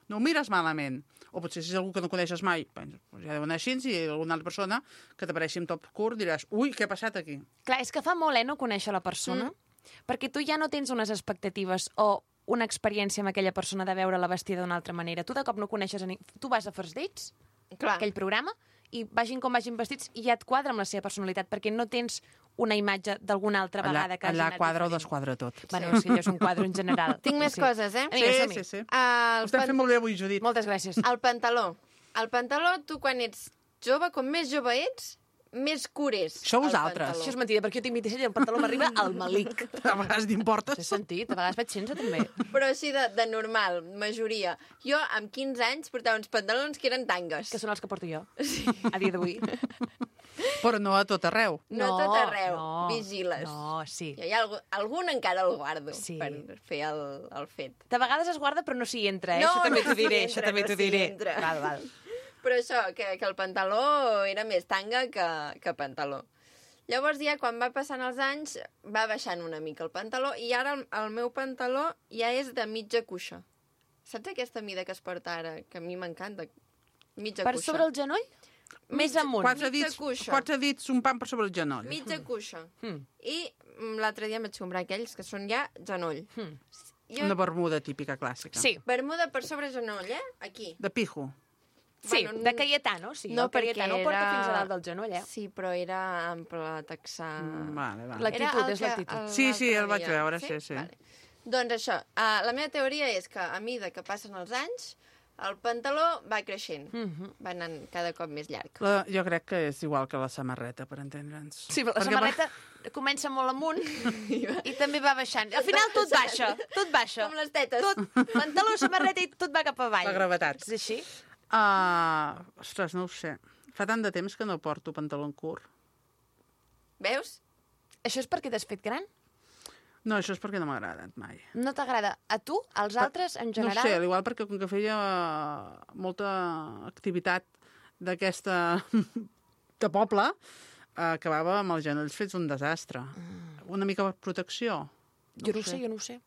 no ho mires malament. O potser si és algú que no coneixes mai, doncs ja deu anar així, i alguna altra persona que t'apareixi amb top curt diràs, ui, què ha passat aquí? Clar, és que fa molt, eh, no conèixer la persona, mm. perquè tu ja no tens unes expectatives o una experiència amb aquella persona de veure-la vestida d'una altra manera. Tu de cop no coneixes a ningú. Tu vas a First Dates, Clar. aquell programa, i vagin com vagin vestits i ja et quadra amb la seva personalitat, perquè no tens una imatge d'alguna altra Allà, vegada que hagi allà anat quadra o diferent. desquadra tot. Bueno, sí, allò és un quadre en general. Tinc més sí. coses, eh? Vinga, Sí, som-hi. sí, sí. El, Ho estem pan... fent molt bé avui, Judit. Moltes gràcies. el pantaló. El pantaló, tu quan ets jove, com més jove ets, més cures. Això el vosaltres. pantaló. Això és mentida, perquè jo tinc vint-i-set i el pantaló m'arriba al malic. A vegades t'importes. T'he sentit? A vegades vaig sense, també. Però així de, de normal, majoria. Jo, amb quinze anys, portava uns pantalons que eren tangues. Que són els que porto jo, sí. a dia d'avui. Però no a tot arreu. No, tot arreu. no, Vigiles. No, sí. Hi ha algun, algun encara el guardo Sí. per fer el, el fet. De vegades es guarda, però no s'hi entra, eh? No, això també no t'ho s'hi diré, entra, això també no t'ho s'hi diré. entra. Val, val. Però això, que, que el pantaló era més tanga que, que pantaló. Llavors ja, quan va passant els anys, va baixant una mica el pantaló i ara el, el meu pantaló ja és de mitja cuixa. Saps aquesta mida que es porta ara, que a mi m'encanta? Mitja Per cuixa. sobre el genoll? Més amunt. Quatre Mitja dits, cuixa. quatre dits, un pam per sobre el genoll. Mitja cuixa. Mm. I mm, l'altre dia em vaig comprar aquells que són ja genoll. Mm. Jo, Una bermuda típica clàssica. Sí, bermuda per sobre genoll, eh? Aquí. De pijo. sí, Bueno, de Cayetano, sí. no, el Cayetano perquè porta era- fins a dalt del genoll, eh? Sí, però era ample texà... Mm, Vale, vale. L'actitud, Era el és que- l'actitud. el- Sí, sí, l'altre el vaig dia. veure, sí, sí. Vale. Doncs això, uh, la meva teoria és que a mesura que passen els anys, el pantaló va creixent, Mhm. va anant cada cop més llarg. La, jo crec que és igual que la samarreta, per entendre'ns. Sí, però la Perquè samarreta comença molt amunt i també va baixant. Al final tot baixa, tot baixa. Com les tetes. Tot, pantaló, samarreta i tot va cap avall. La gravetat. És així? Uh, ostres, no ho sé. Fa tant de temps que no porto pantaló curt. Veus? Això és perquè t'has fet gran? No, això és perquè no m'ha agradat mai. No t'agrada? A tu? Als altres, en general? No ho sé, al igual perquè com que feia molta activitat d'aquesta de poble, eh, acabava amb els genolls fets un desastre. Mm. Una mica per protecció. Jo no ho sé, jo no ho sé.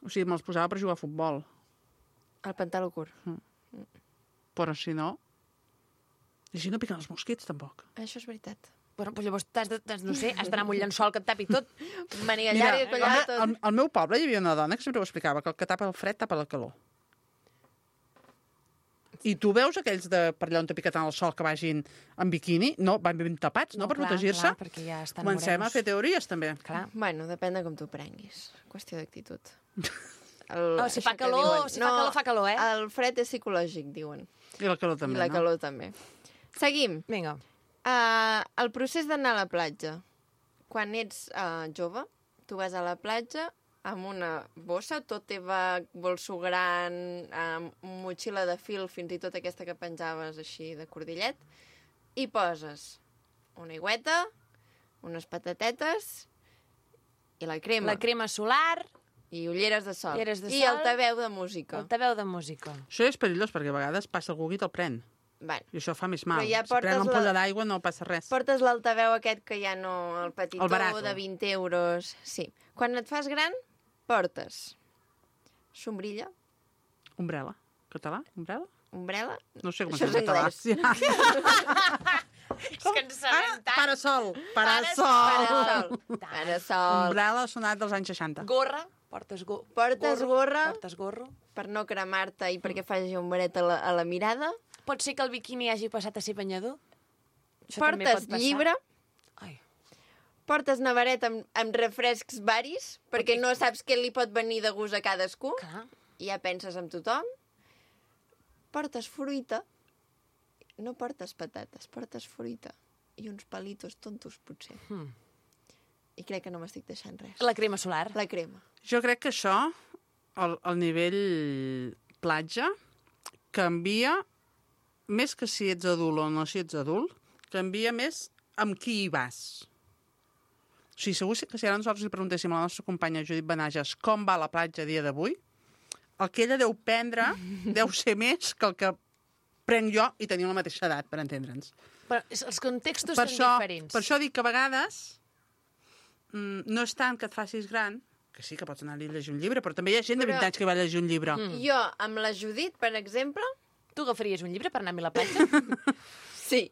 O sigui, me'ls posava per jugar a futbol. El pantaló curt. Però si no... I si no piquen els mosquits, tampoc. Això és veritat. Bueno, doncs llavors t'has de, t'has- no sé, has d'anar amb un llençol que et tapi tot. Màniga Mira, llarga, al, collada, me- tot. al, al meu poble hi havia una dona que sempre ho explicava, que el que tapa el fred tapa la calor. I tu veus aquells de per allà on t'ha picat en el sol que vagin en biquini? No, van ben tapats, no, per clar, protegir-se? clar, perquè ja estan Comencem morenos. a fer teories, també. Clar. Bueno, depèn de com t'ho prenguis. Qüestió d'actitud. El, Oh, si això fa que calor- diuen. si fa calor, fa calor, eh? El fred és psicològic, diuen. I la calor també, I la no? calor també. Seguim. Vinga. Uh, el procés d'anar a la platja. Quan ets uh, jove, tu vas a la platja amb una bossa, tot teva bolso gran, amb motxilla de fil, fins i tot aquesta que penjaves així de cordillet, i poses una aigüeta, unes patatetes i la crema. La crema solar, I ulleres de sol. Ulleres de I sol. altaveu de música. el taveu de música. Això és perillós, perquè a vegades passa algú i te'l pren. Bueno, I això fa més mal. Però ja si pren portes una ampolla la- d'aigua no passa res. portes l'altaveu aquest que ja no... El petitó El barato. de vint euros. Sí. Quan et fas gran, portes sombrilla, Umbrella. Català? Umbrella? ombrella... No sé com Això es és diu en català. anglès. És que ens Ah, sabem tant. parasol. Parasol. Parasol. Parasol. Umbrella ha sonat dels anys seixanta. Gorra, portes, go Portes gorra. Portes gorro. Per no cremar-te i perquè faci ombret a la, a la mirada. Pot ser que el biquini hagi passat a ser banyador? Això també Portes pot passar. llibre. Ai. Portes nevaret amb, amb refrescs varis, perquè no saps què li pot venir de gust a cadascú. Clar. I ja penses en tothom. Portes fruita. No portes patates, portes fruita. I uns palitos tontos, potser. Hmm. I crec que no m'estic deixant res. La crema solar. La crema. Jo crec que això, el, el nivell platja, canvia, més que si ets adult o no si ets adult, canvia més amb qui hi vas. O sigui, segur que si ara nosaltres li preguntéssim a la nostra companya Judit Benages com va a la platja a dia d'avui, el que ella deu prendre deu ser més que el que prenc jo i tenim la mateixa edat, per entendre'ns. Però els contextos Per són això, diferents. per això dic que a vegades mm, no és tant que et facis gran, que sí que pots anar a llegir un llibre, però també hi ha gent de Però- vint anys que va llegir un llibre. Mm. Jo, amb la Judit, per exemple, Tu agafaries un llibre per anar a mi a la platja? sí.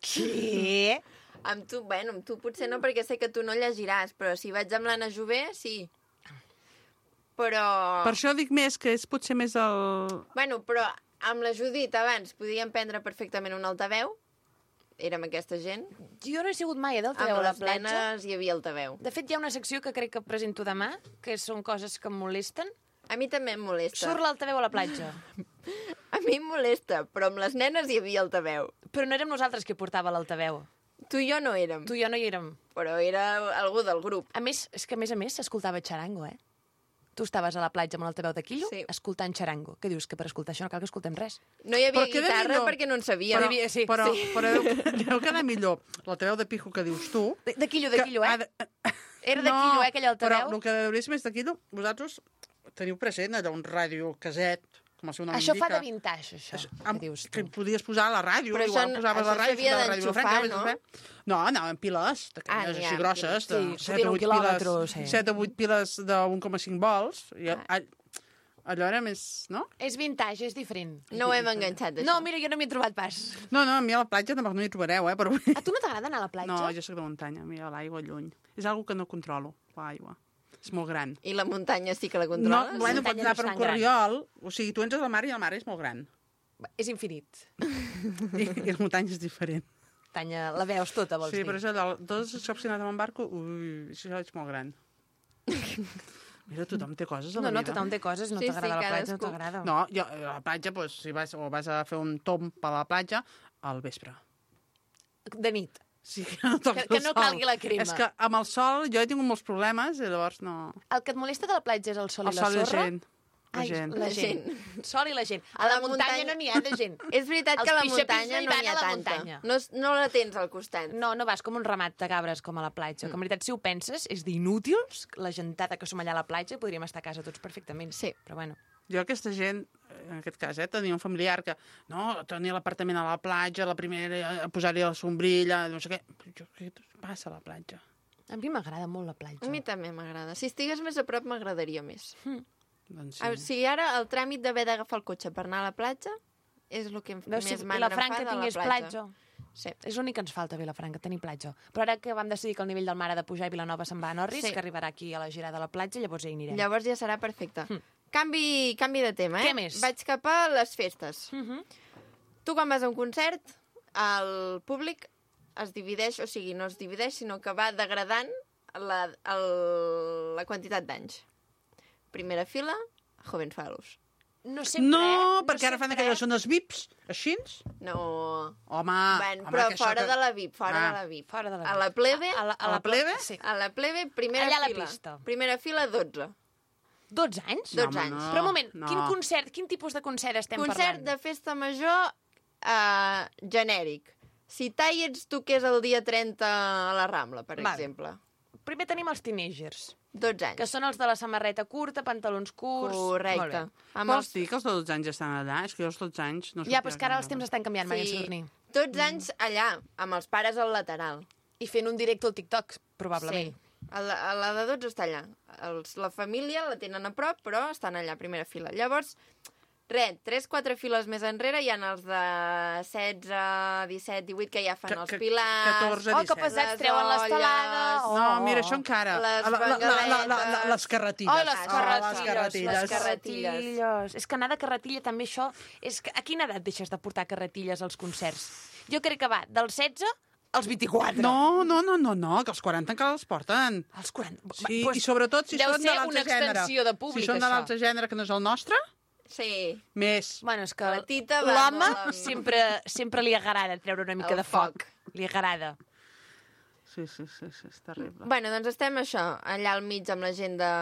Què? Amb tu, bueno, amb tu potser no, perquè sé que tu no llegiràs, però si vaig amb l'Anna Jové, sí. Però... Per això dic més que és potser més el... Bueno, però amb la Judit abans podíem prendre perfectament un altaveu. Érem aquesta gent. Jo no he sigut mai a Amb d'altaveu a la les platja. nenes hi havia altaveu. De fet, hi ha una secció que crec que presento demà, que són coses que em molesten. A mi també em molesta. Surt l'altaveu a la platja. A mi em molesta, però amb les nenes hi havia altaveu. Però no érem nosaltres qui portava l'altaveu. Tu i jo no érem, Tu i jo no hi érem. però era algú del grup. A més, és que a més a més s'escoltava xarango, eh? Tu estaves a la platja amb l'altaveu de quillo Sí. escoltant xarango. Què dius? Que per escoltar això no cal que escoltem res. No hi havia Però queda guitarra millor. perquè no en sabíem. Però, havia- sí, però, sí. però deu, deu quedar millor l'altaveu de pijo que dius tu. De, de quillo, de que quillo, eh? ha de- Era de quillo, eh, aquell altaveu? Però el que deuria ser més de quillo, vosaltres teniu present allò, un ràdio caset, com el seu nom Això indica. fa de vintage, això, Això, que amb- dius que tu. podies posar a la ràdio, Però igual això- posaves això la ràdio, s'havia la ràdio d'enxufar, Vilafranca, no? vés a fer. No, anaven piles, Ah, d'aquelles n'hi ha així grosses, de piles. Sí, set o un vuit quilòmetre, piles, sí. set o vuit piles d'un coma cinc volts, i Ah. all- allò era més, no? És vintage, és diferent. No ho hem enganxat, això. No, mira, jo no m'hi he trobat pas. No, no, a mi a la platja tampoc no hi trobareu, eh, però... A tu no t'agrada anar a la platja? No, jo sóc de muntanya, a mi a l'aigua lluny. És algo que no controlo, l'aigua. És molt gran. I la muntanya sí que la No, controles? bueno, muntanya pots no anar és per un tan gran. corriol, o sigui, tu entres al mar i el mar és molt gran. És infinit. I, i la muntanya és diferent. Tanya, la veus tota, vols Sí, dir? però és allò, tots els cops que he anat amb un barco, ui, això és molt gran. Mira, tothom té coses a la No, no, vida. tothom té coses, no Sí, sí, t'agrada la platja, no cadascú. t'agrada. No, jo, a la platja, doncs, si vas, o vas a fer un tomb a la platja, al vespre. De nit. Sí, que no toqui Que- que el no sol. calgui la crema. És que amb el sol jo he tingut molts problemes i llavors no... El que et molesta de la platja és el sol El i la sol i la sorra? gent. La Ai, gent. la La gent. gent. Sol i la gent. A, A la, la muntanya, muntanya- no n'hi ha de gent. És veritat Els que a la pixapins muntanya no hi no van n'hi ha a la tanta. muntanya. No, es- no la tens al costat. No, no vas com un ramat de cabres com a la platja. Que en veritat, si ho penses, és d'inútils la gentada que som allà a la platja. Podríem estar a casa tots perfectament. Sí. Però bueno. Jo aquesta gent, en aquest cas, eh, tenia un familiar que, no, tenia l'apartament a la platja, la primera, a posar-hi la sombrilla, no sé què. Jo, què passa a la platja? A mi m'agrada molt la platja. A mi també m'agrada. Si estigués més a prop m'agradaria més. Doncs Sí. O sigui, ara el tràmit d'haver d'agafar el cotxe per anar a la platja és el que em, Veus, si més mandra em fa Vilafranca de la tingués platja. platja. Sí. És l'únic que ens falta, Vilafranca, tenir platja. Però ara que vam decidir que el nivell del mar ha de pujar i Vilanova se'n va a Norris, Sí. que arribarà aquí a la girada de la platja, llavors ja hi anirem. Llavors ja serà perfecte. Canvi, canvi de tema, eh? Què més? Vaig cap a les festes. Uh -huh. Tu quan vas a un concert, el públic es divideix, o sigui, no es divideix, sinó que va degradant la, el, la quantitat d'anys. Primera fila, Joven Falos. No sempre, No, eh? perquè ara fan sempre, aquelles zones V I Ps, així? No... Home, ben, home, però que això fora que- de la V I P, fora Ah. de la V I P. Fora de la A V I P. la plebe, A la, a la plebe? Sí. a la plebe, primera Allà a la fila. pista. Primera fila, dotze. dotze anys? dotze home, anys. no. Però un moment, no. quin concert, quin tipus de concert estem Concert parlant? de festa major uh, genèric. Si tai ets tu que és el dia trenta a la Rambla, per Vale. exemple. Primer tenim els teenagers, dotze anys. que són els de la samarreta curta, pantalons curts... Correcte. Molt bé. Amb Vols els... dir que els de dotze anys ja estan allà? És que jo els dotze anys no Ja, però és que ara els temps estan canviant, Maria Sí, Sadurní. dotze anys allà, amb els pares al lateral. I fent un directe al TikTok, probablement. Sí. A la, a la de dotze està allà. Els, la família la tenen a prop, però estan allà, a primera fila. Llavors, res, tres, quatre files més enrere hi ha els de setze, disset, divuit, que ja fan Que- els que- pilars... catorze, Oh, que disset. pesats, les treuen l'estelada... olles. Oh. No, mira, això encara. Les La- la- la- la- la- la- bengaletes. Les carretilles. Oh, les Ah, carretilles, les carretilles. les carretilles. carretilles. És que anar de carretilla també això... És que a quina edat deixes de portar carretilles als concerts? Jo crec que va dels setze als vint-i-quatre. No, no, no, no, no, que els quaranta encara els porten. Als quaranta. Sí, Pues i sobretot si deu són de ser l'altre una gènere. extensió de públic, Si són de això. l'altre gènere que no és el nostre, Sí. més. Bueno, és que La Tita va l'home molt amb- sempre, sempre li agrada treure una mica El de foc. foc. Li agrada. Sí, sí, sí, sí, és terrible. Bueno, doncs estem això, allà al mig amb la gent de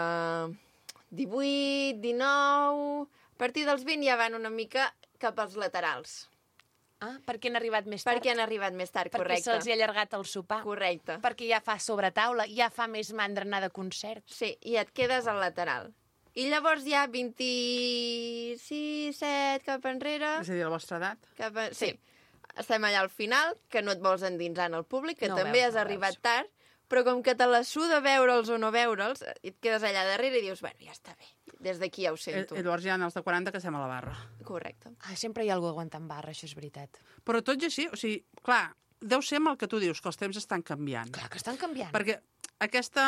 divuit, dinou... A partir dels vint ja van una mica cap als laterals. Ah, perquè han arribat més tard? Perquè han arribat més tard, Perquè correcte. se'ls hi ha allargat el sopar. Correcte. Perquè ja fa sobretaula, ja fa més mandra anar de concert. Sí, i et quedes al lateral. I llavors ja vint-i-sis, set cap enrere... És a dir, la vostra edat. Cap a... Sí. Estem allà al final, que no et vols endinsar en el públic, que No també veus, has no arribat veus. tard, però com que te la suda veure'ls o no veure'ls, i et quedes allà darrere i dius, bueno, ja està bé, des d'aquí ja ho I, sento. i llavors hi ha els de quaranta que estem a la barra. Correcte. Ah, sempre hi ha algú aguantant barra, això és veritat. Però tot i així, o sigui, clar, deu ser amb el que tu dius, que els temps estan canviant. Clar que estan canviant. Perquè aquesta...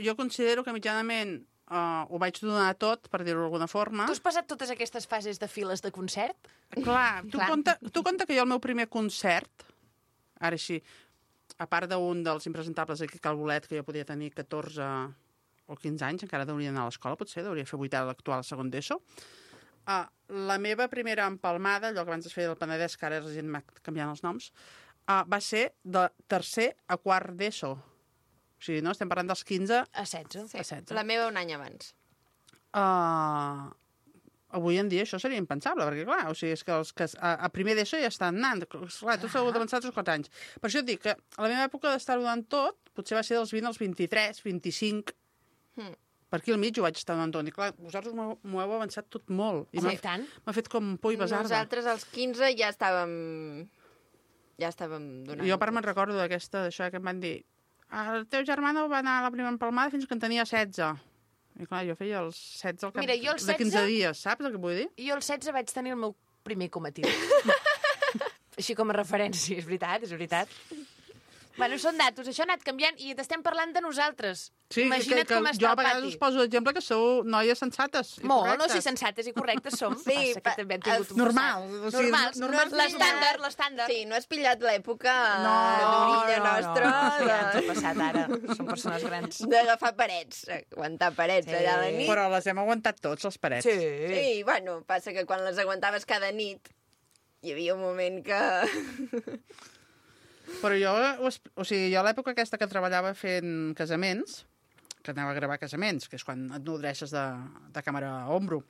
Jo considero que mitjanament uh, ho vaig donar tot, per dir-ho d'alguna forma. Tu has passat totes aquestes fases de files de concert? Clar, tu, Clar. Compte, tu compte que jo el meu primer concert, ara així, a part d'un dels impresentables aquí a Cal Bolet, que jo podia tenir catorze o quinze anys, encara hauria d'anar a l'escola, potser, hauria fer vuitè a l'actual segon d'ESO. Uh, la meva primera empalmada, allò que abans es feia del Penedès, que ara la gent m'ha canviant els noms, uh, va ser de tercer a quart d'ESO. O sigui, no? Estem parlant dels quinze A setze. Sí. a setze. La meva un any abans. Uh, avui en dia això seria impensable, perquè clar, o sigui, és que els que a, a primer d'ESO ja estan anant. Clar, tu s'ha d'avançar tres o quatre anys. Per això et dic que a la meva època d'estar-ho donant tot, potser va ser dels vint als vint-i-tres, vint-i-cinc, Mm. per aquí al mig ho vaig estar donant tot. I clar, vosaltres m'ho m'ho heu avançat tot molt. I Home, m'ha i tant. m'ha fet com por i besarda. Nosaltres als quinze ja estàvem... Ja estàvem donant... I jo a part me'n recordo d'aquesta, d'això que em van dir el teu germà no va anar a la primera empalmada fins que en tenia setze. I clar, jo feia els setze al cap Mira, jo els de quinze setze dies, saps el que vull dir? Jo als setze vaig tenir el meu primer comatiu. Així com a referència, és veritat, és veritat. Bueno, són datos, això ha anat canviant i t'estem parlant de nosaltres. Sí, Imagina't que, que, com que està jo a el vegades pati. us poso d'exemple que sou noies sensates i Molt, no, correctes. si sensates i correctes som. Sí, Passa que pa- també hem tingut un normal, passat. o sigui, Normals, normal- no, l'estàndard, l'estàndard. Sí, no has pillat l'època No, d'orilla no, nostra no, ja de- ens ha passat ara. Som persones grans. d'agafar parets, aguantar parets Sí. allà a la nit. Però les hem aguantat tots, les parets. Sí. Sí, bueno, passa que quan les aguantaves cada nit hi havia un moment que... Però jo, ho es- o sigui, jo a l'època aquesta que treballava fent casaments, que anava a gravar casaments, que és quan et nodreixes de, de càmera a ombro,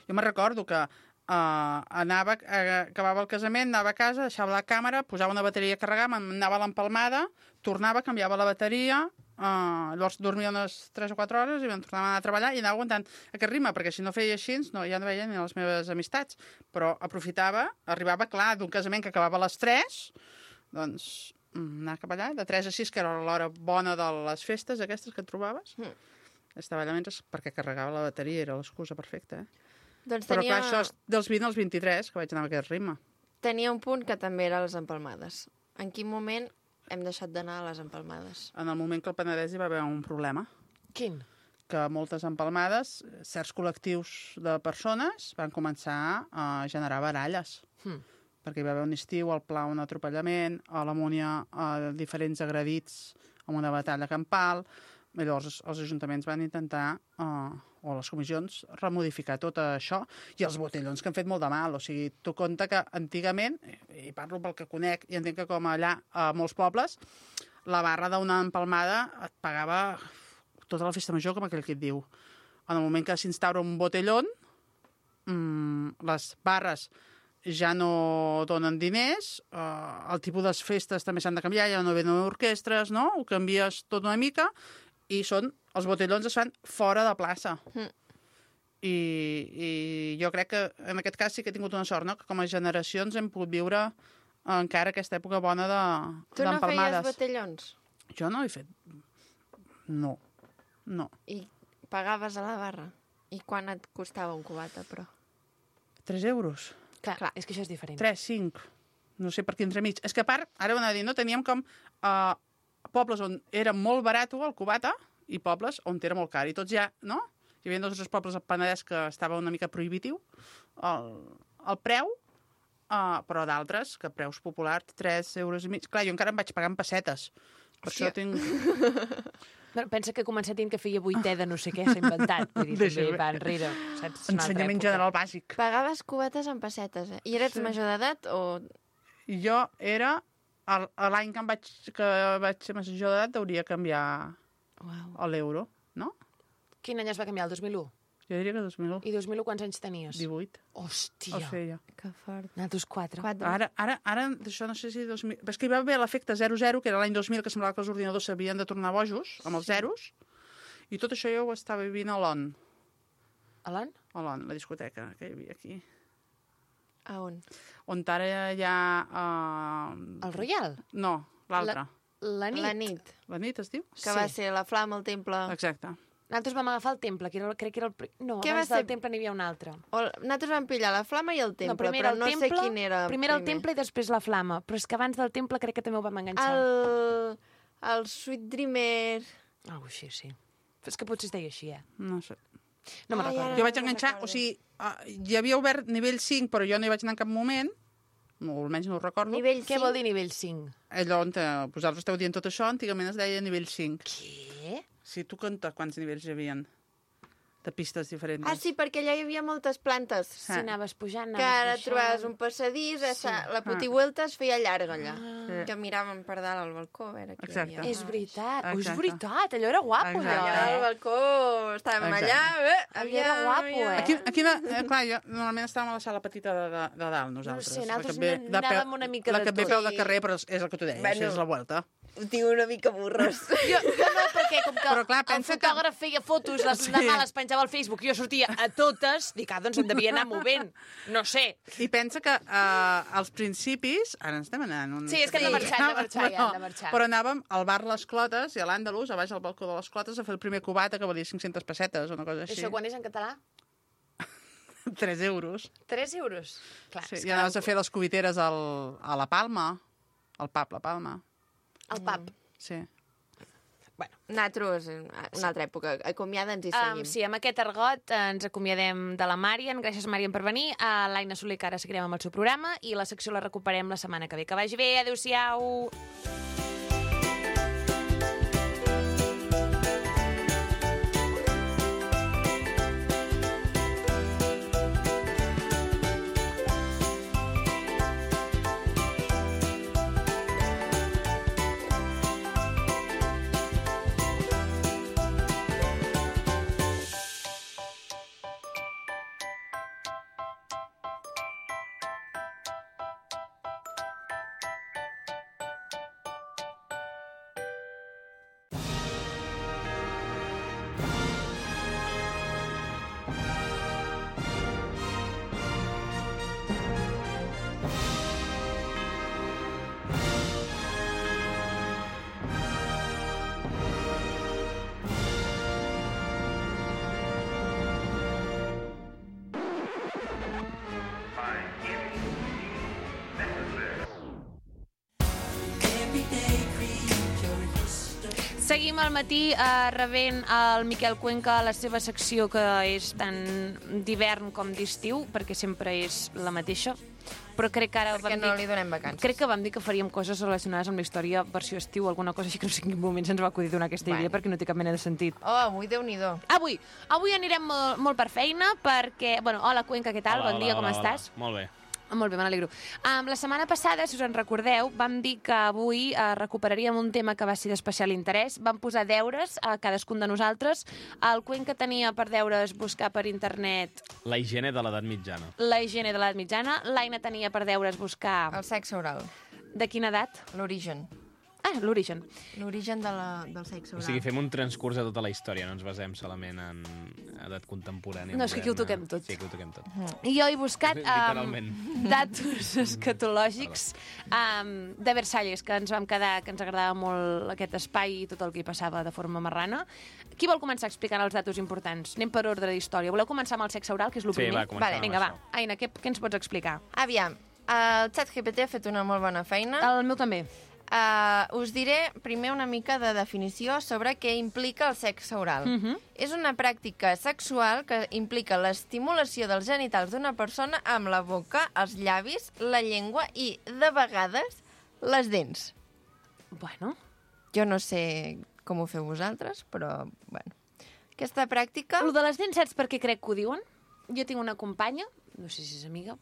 jo me recordo que uh, anava, uh, acabava el casament, anava a casa, deixava la càmera, posava una bateria a carregar, m'anava a l'empalmada, tornava, canviava la bateria, uh, llavors dormia unes tres o quatre hores i me'n tornava a anar a treballar i anava aguantant aquest ritme, perquè si no feia així, no, ja no veia ni les meves amistats. Però aprofitava, arribava, clar, d'un casament que acabava a les tres, doncs mm, anar cap allà, de tres a sis, que era l'hora bona de les festes aquestes que et trobaves. Mm. Estava allà mentre, perquè carregava la bateria, era l'excusa perfecta, eh? Doncs Però tenia, clar, això és dels vint als vint-i-tres, que vaig anar amb aquest ritme. tenia un punt que també era les empalmades. En quin moment hem deixat d'anar a les empalmades? En el moment que el Penedès hi va haver un problema, Quin? que moltes empalmades, certs col·lectius de persones van començar a generar baralles. Hm. Perquè hi va haver un estiu, al Pla un atropellament, a la Múnia a diferents agredits amb una batalla campal. I llavors els ajuntaments van intentar, eh, o les comissions, remodificar tot això i els botellons que han fet molt de mal. O sigui, tu compte que antigament, i parlo pel que conec, i entenc que com allà a molts pobles, la barra d'una empalmada et pagava tota la festa major, com aquell que et diu. En el moment que s'instaura un botellón, mmm, les barres ja no donen diners, eh, el tipus de festes també s'han de canviar, ja no venen orquestres, no? Ho canvies tot una mica, i són, els botellons es fan fora de plaça. Mm. I, I jo crec que en aquest cas sí que he tingut una sort, no? Que com a generacions hem pogut viure encara aquesta època bona de, Tu no feies d'empalmades. botellons? Jo no he fet... No, no. I pagaves a la barra? I quan et costava un cubata, però? Tres euros. Clar, Clar. és que això és diferent. Tres, cinc. No sé per què entremig. És que a part, ara ho anava a dir, no? Teníem com uh, pobles on era molt barat el cubata i pobles on era molt car. I tots ja, no? Hi havia dos o tres pobles al Penedès que estava una mica prohibitiu el, el preu, uh, però d'altres, que preus populars, tres euros i mig. Clar, jo encara em vaig pagar en pessetes. Per Hòstia. això tinc... Bueno, pensa que comença dient que feia vuitè de no sé què, s'ha inventat. Vull dir, Deixa també bé. va enrere. Saps? És una altra Ensenyament època. general bàsic. Pagaves cubates en pessetes, eh? I eres Sí. major d'edat o... Jo era... el- L'any que em vaig, que vaig ser major d'edat hauria canviar Uau. a l'euro, no? Quin any es va canviar? El dos mil u? Jo diria que dos mil I dos mil u quants anys tenies? divuit Hòstia. el feia. Que fort. Nosaltres quatre. Quatre. Ara, ara, ara, d'això no sé si... dos mil... Però és que hi va haver l'efecte zero zero, que era l'any dos mil, que semblava que els ordinadors s'havien de tornar bojos, amb els zeros, I tot això jo ho estava vivint a l'On. A l'on? A l'On, la discoteca que hi havia aquí. A on? On ara hi ha... Uh... El Royal? No, l'altre. La, la nit. La nit. La nit es diu? Que Sí. va ser la flama al temple. Exacte. Nosaltres vam agafar el temple, que era, crec que era el... pri- No, Què va abans del ser? temple n'hi havia un altre. O, nosaltres vam pillar la flama i el temple, no, primer però el no temple, sé quin era primer el temple i després la flama. Però és que abans del temple crec que també ho vam enganxar. El... el Sweet Dreamer... Algo així, sí. És que potser es deia així, eh? No sé. No me'n Ai, recordo. ara Jo no vaig me'n enganxar, recordo. o sigui, uh, hi havia obert nivell cinc, però jo no hi vaig anar en cap moment, no, almenys no ho recordo. Nivell Què cinc? vol dir nivell cinc? Allò on te, vosaltres esteu dient tot això, antigament es deia nivell cinc. Què? Sí, tu compta quants nivells hi havia de pistes diferents. Ah, sí, perquè allà hi havia moltes plantes. Si anaves pujant, Que anaves ara baixant... trobaves un passadís, sí. la putivuelta es feia llarga allà. Sí. Que miràvem per dalt al balcó, a veure què Exacte. hi havia. És veritat, oh, és Exacte. veritat, allò era guapo, Exacte. allò, Allà al eh? balcó estàvem Exacte. allà... Eh, Allò era guapo, eh? Aquí, aquí eh, clar, jo, normalment estàvem a la sala petita de, de, de dalt, nosaltres. sé, La nosaltres que ve n- de peu- anàvem una mica La de que ve tot. peu de carrer, però és el que tu deies, Bueno. és la vuelta. Ho tinc una mica burros. Jo, no, no, perquè com que Però, clar, el pensa que- fotògraf feia fotos, les Sí. demà les penjava al Facebook, jo sortia a totes, dic, ah, doncs em devia anar movent. No sé. I pensa que uh, als principis... Ara ens estem anant... Un... Sí, és que hem de marxar, hem de marxar, ja, hem de marxar. Però anàvem al bar Les Clotes i a l'Àndalus, a baix al balcó de Les Clotes, a fer el primer cubata, que valia cinc-centes pessetes o una cosa així. Això quan és en català? tres euros. tres euros. Clar, Sí, és I que anaves a fer les cubiteres al, a la Palma, al pub La Palma. el pub. Sí. Bueno, Nosaltres, en una altra època, acomiada'ns i um, seguim. sí, amb aquest argot eh, ens acomiadem de la Màrian. Gràcies, Màrian, per venir. A l'Aina Soler, que ara seguirem amb el seu programa, i la secció la recuperem la setmana que ve. Que vagi bé, adéu-siau! Seguim al matí eh, rebent el Miquel Cuenca a la seva secció, que és tant d'hivern com d'estiu, perquè sempre és la mateixa. Però crec que ara Perquè vam no dir... li donem vacances. Crec que vam dir que faríem coses relacionades amb la història versió estiu, alguna cosa així, que no sé en quin moment se'ns va acudir donar aquesta Bueno. idea, perquè no té cap mena de sentit. Oh, avui Déu-n'hi-do. Avui, avui anirem molt, molt per feina, perquè... Bueno, hola, Cuenca, què tal? Hola, bon hola, dia, com hola, estàs? Hola. Molt bé. Molt bé, me n'alegro. Um, la setmana passada, si us en recordeu, vam dir que avui uh, recuperaríem un tema que va ser d'especial interès. Vam posar deures a cadascun de nosaltres. El Cuenca tenia per deures buscar per internet La higiene de l'edat mitjana. la higiene de l'edat mitjana. L'Aina tenia per deures buscar... El sexe oral. De quina edat? L'origen. Ah, l'origen. L'origen de la, del sexe O oral. sigui, fem un transcurs de tota la història, no ens basem solament en edat contemporània. No, és que aquí ho moderna. toquem tot. Sí, aquí ho toquem tot. I jo he buscat um, Literalment. datos escatològics um, de Versalles, que ens vam quedar, que ens agradava molt aquest espai i tot el que hi passava de forma marrana. Qui vol començar explicant els datos importants? Anem per ordre d'història. Voleu començar amb el sexe oral, que és el Sí, primer? va, comencem Vale. amb Vinga, va. això. Aina, què, què ens pots explicar? Aviam, el ChatGPT ha fet una molt bona feina. El meu també. Uh, us diré primer una mica de definició sobre què implica el sexe oral. Mhm. És una pràctica sexual que implica l'estimulació dels genitals d'una persona amb la boca, els llavis, la llengua i, de vegades, les dents. Bueno, Jo no sé com ho feu vosaltres, però, bueno. Aquesta pràctica... el de les dents, saps per què crec que ho diuen? Jo tinc una companya, no sé si és amiga,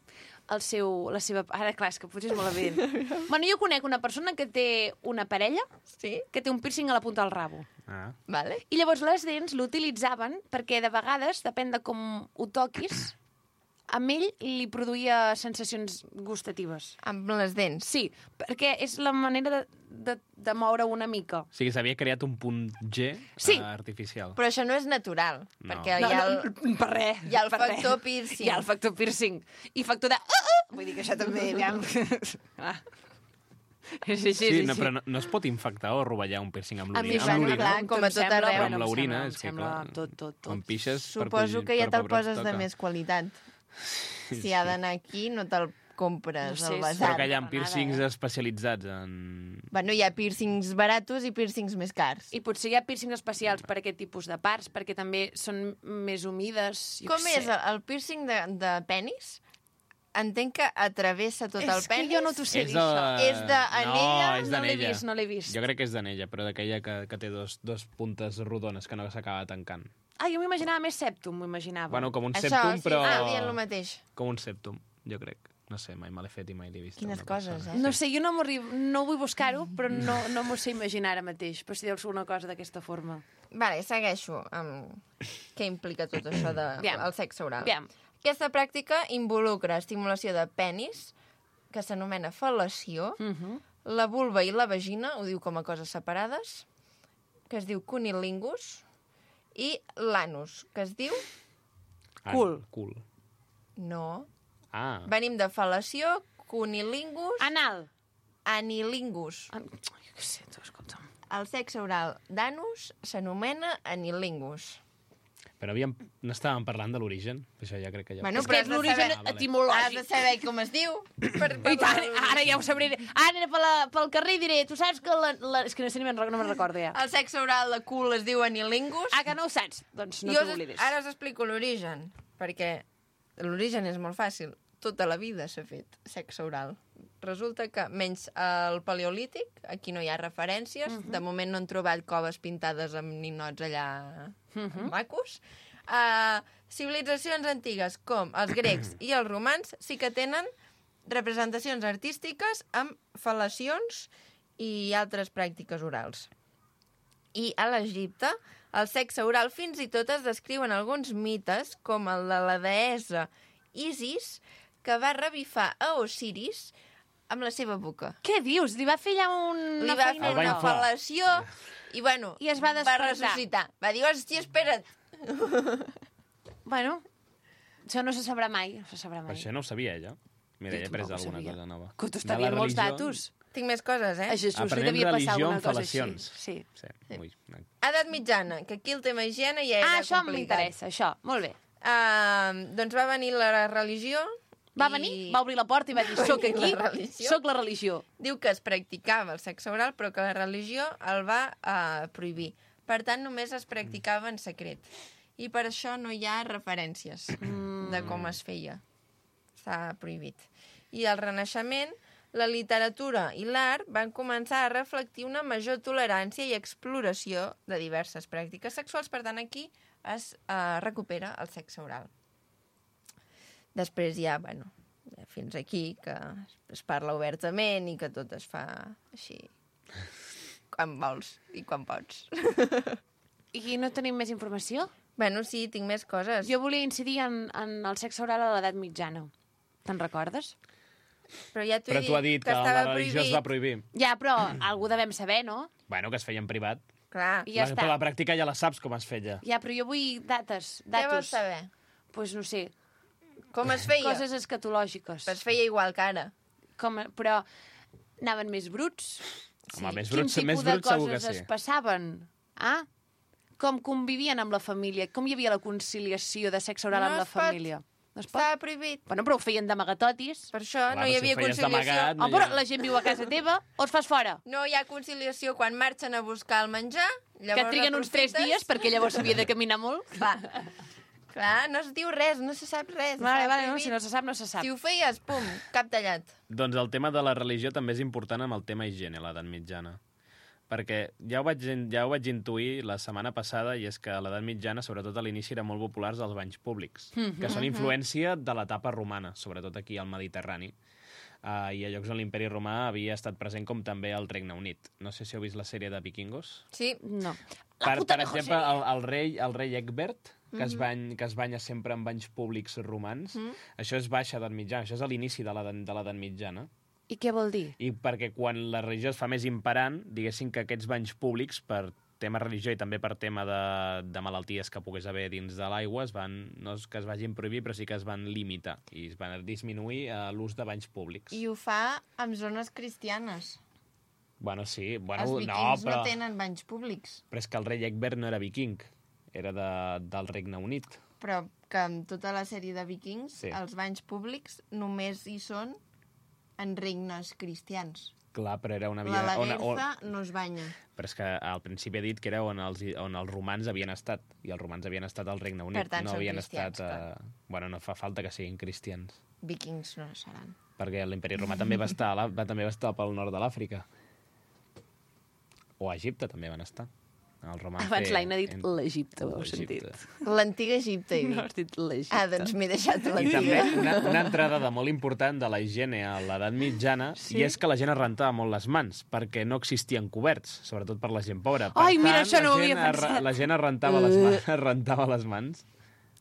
el seu, la seva... Ara, clar, és que potser és molt evident. Bueno, jo conec una persona que té una parella Sí, que té un piercing a la punta del rabo. Ah. vale. I llavors les dents l'utilitzaven perquè de vegades, depèn de com ho toquis, amb ell li produïa sensacions gustatives. Amb les dents. Sí, perquè és la manera de, de, de moure una mica. O sigui, s'havia creat un punt G Sí. eh, artificial. Però això no és natural, No. perquè No, hi ha el... no, per res. hi ha el per res. factor piercing. Hi ha el factor piercing. I factor de... Uh, uh! Vull dir que això també... Aviam. Ah. Sí, sí, sí. Sí, no, sí. però no, no es pot infectar o rovellar un piercing amb A mi, l'orina. bueno, Amb l'orina, clar, com a em tot sembla, arreu. però bueno, amb em l'orina sembla, és em que, sembla clar, tot, tot, tot. quan pixes... per Suposo posi- que ja per te'l pobret poses de toca. més qualitat. Si ha d'anar aquí, no te'l compres No sé, al sí. basar. Però que hi ha Nada, piercings eh? especialitzats en... Bueno, hi ha piercings baratos i piercings més cars. I potser hi ha piercings especials per aquest tipus de parts, perquè també són més humides. Jo Com què és sé. el, el piercing de, de penis? Entenc que atravessa tot el És que penis. jo no t'ho sé És dir, això. de- És d'anella? No, és No l'he d'anella. vist, no l'he vist. Jo crec que és d'anella, però d'aquella que, que té dos, dos puntes rodones que no s'acaba tancant. Ah, jo m'imaginava més septum, m'ho imaginava. Bueno, com un Això, septum, sí, però... estava dient el mateix. Com un septum, jo crec. No sé, mai me l'he fet i mai l'he vist. a Quines una coses, persona. eh? No sé, jo no, no vull buscar-ho, però no, no m'ho sé imaginar ara mateix, però si deus una cosa d'aquesta forma. Vale, segueixo amb què implica tot això del de, Aviam. el sexe oral. Aviam. Aquesta pràctica involucra estimulació de penis, que s'anomena fel·lació, Uh -huh. la vulva i la vagina, ho diu com a coses separades, que es diu cunilingus, i l'anus, que es diu... Ah, Cul. Cul. No. Ah, Venim de fel·lació, cunilingus, Anal. anilingus. An... Jo què sé, tu, escolta'm. El sexe oral d'anus s'anomena anilingus. però havíem... no estàvem parlant de l'origen? Això ja crec que ja... Bueno, És però que has és de l'origen saber- Ah, vale. Has etimològic. de saber com es diu. Per, per I tant, la- ara ja ho sabré. Ara aniré per la, pel carrer i diré, tu saps que la... la... És que no sé ni me'n no me'n recordo ja. El sexe oral de cul es diu anilingus. Ah, que no ho saps? Doncs no Jo us- t'oblidis. ara us explico l'origen, perquè l'origen és molt fàcil. Tota la vida s'ha fet sexe oral. Resulta que, menys el paleolític, aquí no hi ha referències, uh -huh. de moment no han trobat coves pintades amb ninots allà uh -huh. macos. Uh, civilitzacions antigues, com els grecs i els romans, sí que tenen representacions artístiques amb fel·lacions i altres pràctiques orals. I a l'Egipte, el sexe oral fins i tot es descriuen alguns mites, com el de la deessa Isis, que va revifar a Osiris amb la seva boca. Què dius? Li va fer allà un... Li va fer El va una inflar. fal·lació i, bueno, I es va va despertar. ressuscitar. Va dir, hòstia, espera't. Bueno, això no se sabrà mai, no se sabrà Per mai. això no ho sabia, ella. Mira, Jo he après tampoc ho alguna sabia. cosa nova. Que t'ho De està la dient molts religió- datos. Tinc més coses, eh? A Jesús li Aprenem devia passar religió alguna amb cosa així. fel·lacions. Sí. Sí, ui. Edat mitjana, que aquí el tema higiene ja era Ah, això complicat. m'interessa, això. Molt bé. Uh, doncs va venir la religió. Va i venir, va obrir la porta i va dir, soc aquí, La religió. soc la religió. Diu que es practicava el sexe oral, però que la religió el va uh, prohibir. Per tant, només es practicava en secret. I per això no hi ha referències mm. de com es feia. Està prohibit. I al Renaixement, la literatura i l'art van començar a reflectir una major tolerància i exploració de diverses pràctiques sexuals. Per tant, aquí es uh, recupera el sexe oral. Després ja, bueno, fins aquí, que es parla obertament i que tot es fa així, quan vols i quan pots. I no tenim més informació? Bueno, sí, tinc més coses. Jo volia incidir en, en el sexe oral a l'edat mitjana. Te'n recordes? Però ja t'ho Però he tu has dit, dit que que estava la religió es prohibit. va prohibir. Ja, però algú devem saber, no? Bueno, que es feia en privat. Clar, I ja la, està. Però la pràctica ja la saps com es feia. Ja, però jo vull dates, què vols datos. saber? Doncs pues no sé, Com es feia? coses escatològiques. Es feia igual que ara. Com, però anaven més bruts? Home, més Quin bruts, tipus més de bruts segur que coses sí. es passaven? Ah? Com convivien amb la família? Com hi havia la conciliació de sexe oral No amb la es pot. família? No es pot? Estava prohibit. Bueno, però ho feien d'amagatotis. Per això Clar, no hi però si ho havia feies conciliació. d'amagat, no Oh, hi però ha- la gent viu a casa teva o es fas fora? No hi ha conciliació quan marxen a buscar el menjar. Llavors Que triguen uns tres aprofites- dies perquè llavors s'havia de caminar molt? Va. Clar, no es diu res, no se sap res. Vale, està vale, no, prohibit. si no se sap, no se sap. Si ho feies, pum, cap tallat. Doncs el tema de la religió també és important amb el tema higiene a l'edat mitjana. Perquè ja ho, vaig, ja ho vaig intuir la setmana passada, i és que a l'edat mitjana, sobretot a l'inici, eren molt populars els banys públics, que són influència de l'etapa romana, sobretot aquí al Mediterrani. Uh, I a llocs on l'imperi romà havia estat present com també el Regne Unit. No sé si heu vist la sèrie de Vikingos. Sí. No. Per, puta per mejor exemple, sèrie. el, el, rei, el rei Egbert, que, es bany, que es banya sempre en banys públics romans, Mm. això és baixa edat mitjana, això és a l'inici de l'edat de l'edat mitjana. I què vol dir? I perquè quan la religió es fa més imperant, diguéssim que aquests banys públics, per tema religió i també per tema de, de malalties que pogués haver dins de l'aigua, es van, no és que es vagin prohibir, però sí que es van limitar i es van disminuir uh, l'ús de banys públics. I ho fa amb zones cristianes. Bueno, sí, bueno, Els no, vikings però... no tenen banys públics, Però és que el rei Egbert no era viking, era de, del Regne Unit. però que en tota la sèrie de vikings Sí. els banys públics només hi són en regnes cristians. Clar, però era una La vida... on, Lagertha on, no es banya. però és que al principi he dit que era on els, on els romans havien estat, i els romans havien estat al Regne Unit, Per tant, no són havien cristians, estat... Uh... Bueno, no fa falta que siguin cristians, Vikings no seran. perquè l'imperi romà també va estar, a la, va, també va estar pel nord de l'Àfrica. O a Egipte també van estar. El romà Abans fer- l'Aina ha dit en- l'Egipte, ho heu l'Egipte. sentit. L'antiga Egipte, he No dit. has dit l'Egipte. Ah, doncs m'he deixat I també l'antiga. una, una entrada de molt important de la higiene a l'edat mitjana, Sí? i és que la gent es rentava molt les mans, perquè no existien coberts, sobretot per la gent pobra. Per Ai, mira, tant, això no la ho havia gent es re- pensat. La gent es rentava, les mans, es rentava les mans,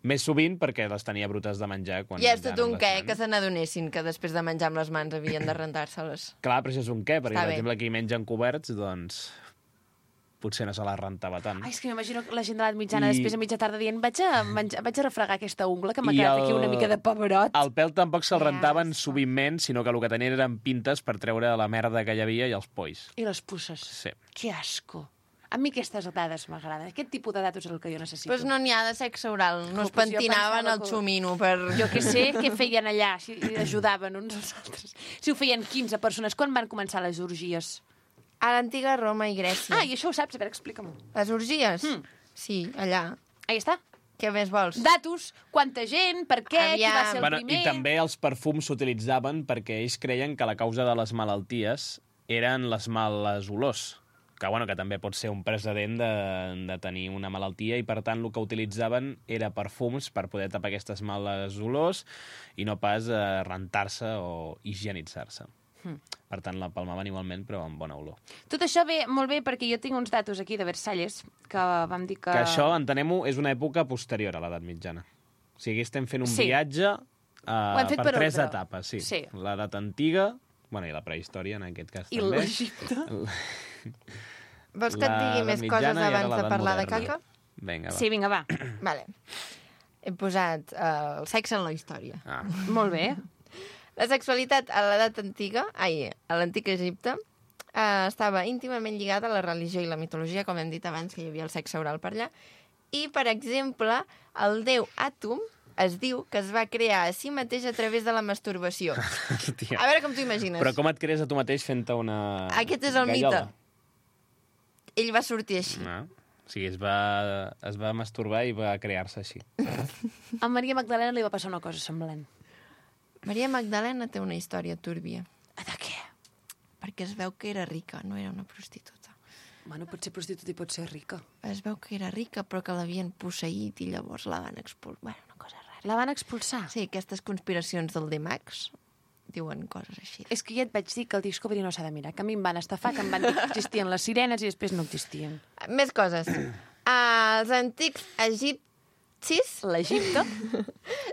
més sovint perquè les tenia brutes de menjar. Quan I és menjaven tot un amb les què, mans. que se n'adonessin que després de menjar amb les mans havien de rentar-se-les. Clar, però això és un què, perquè, Està per bé. exemple, aquí mengen coberts, doncs potser no se les rentava tant. Ai, és que m'imagino la gent de l'edat mitjana I- després a mitja tarda dient vaig a, menjar, vaig a refregar aquesta ungla que m'ha I quedat el- aquí una mica de pebrot. El pèl tampoc se'l Que rentaven asco. sovintment, sinó que el que tenien eren pintes per treure la merda que hi havia i els polls. I les pusses. Sí. Que asco. A mi aquestes dades m'agraden. Aquest tipus de datos és el que jo necessito. Doncs no n'hi ha de sexe oral. No Oh, es pues jo pentinaven pensava el que- xumino per... Jo que sé què feien allà, si ajudaven uns als altres. Si ho feien quinze persones, quan van començar les orgies? A l'antiga Roma i Grècia. Ah, i això ho saps? A veure, explica'm-ho. Les orgies? Mm. Sí, allà. Ahí està. Què més vols? Datos, quanta gent, per què, qui va Aviam. ser el Bueno, primer... I també els perfums s'utilitzaven perquè ells creien que la causa de les malalties eren les males olors. Que, bueno, que també pot ser un precedent de, de tenir una malaltia i, per tant, el que utilitzaven era perfums per poder tapar aquestes males olors i no pas eh, rentar-se o higienitzar-se. Hmm. Per tant, la palmaven igualment, però amb bona olor. Tot això ve molt bé perquè jo tinc uns datos aquí de Versalles que vam dir que... Que això, entenem-ho, és una època posterior a l'edat mitjana. O sigui, estem fent un Sí. viatge Ho uh, hem fet per per tres ordre. etapes. Sí. Sí. L'edat antiga, bueno, i la prehistòria, en aquest cas I també. l'Egipte. Vols que et digui L'edat més mitjana coses i ara abans de l'edat parlar de moderna. caca? Vinga, va. Sí, vinga, va. Vale. He posat uh, el sexe en la història. Ah. Molt bé. La sexualitat a l'edat antiga, ai, a l'antic Egipte, eh, estava íntimament lligada a la religió i la mitologia, com hem dit abans, que hi havia el sexe oral per allà. I, per exemple, el déu Atum es diu que es va crear a si mateix a través de la masturbació. Hòstia. A veure com t'ho imagines. Però com et crees a tu mateix fent-te una Aquest és el gallola? mite. Ell va sortir així. No. O sigui, es va, es va masturbar i va crear-se així. A Maria Magdalena li va passar una cosa semblant. Maria Magdalena té una història túrbia, De què? perquè es veu que era rica, no era una prostituta. Bueno, pot ser prostituta i pot ser rica. Es veu que era rica, però que l'havien posseït i llavors la van expulsar. Bueno, una cosa rara. La van expulsar? Sí, aquestes conspiracions del D-Max diuen coses així. És que ja et vaig dir que el Discovery no s'ha de mirar, que a mi em van estafar, que em van dir que existien les sirenes i després no existien. Més coses. Els antics egipcis L'Egipte?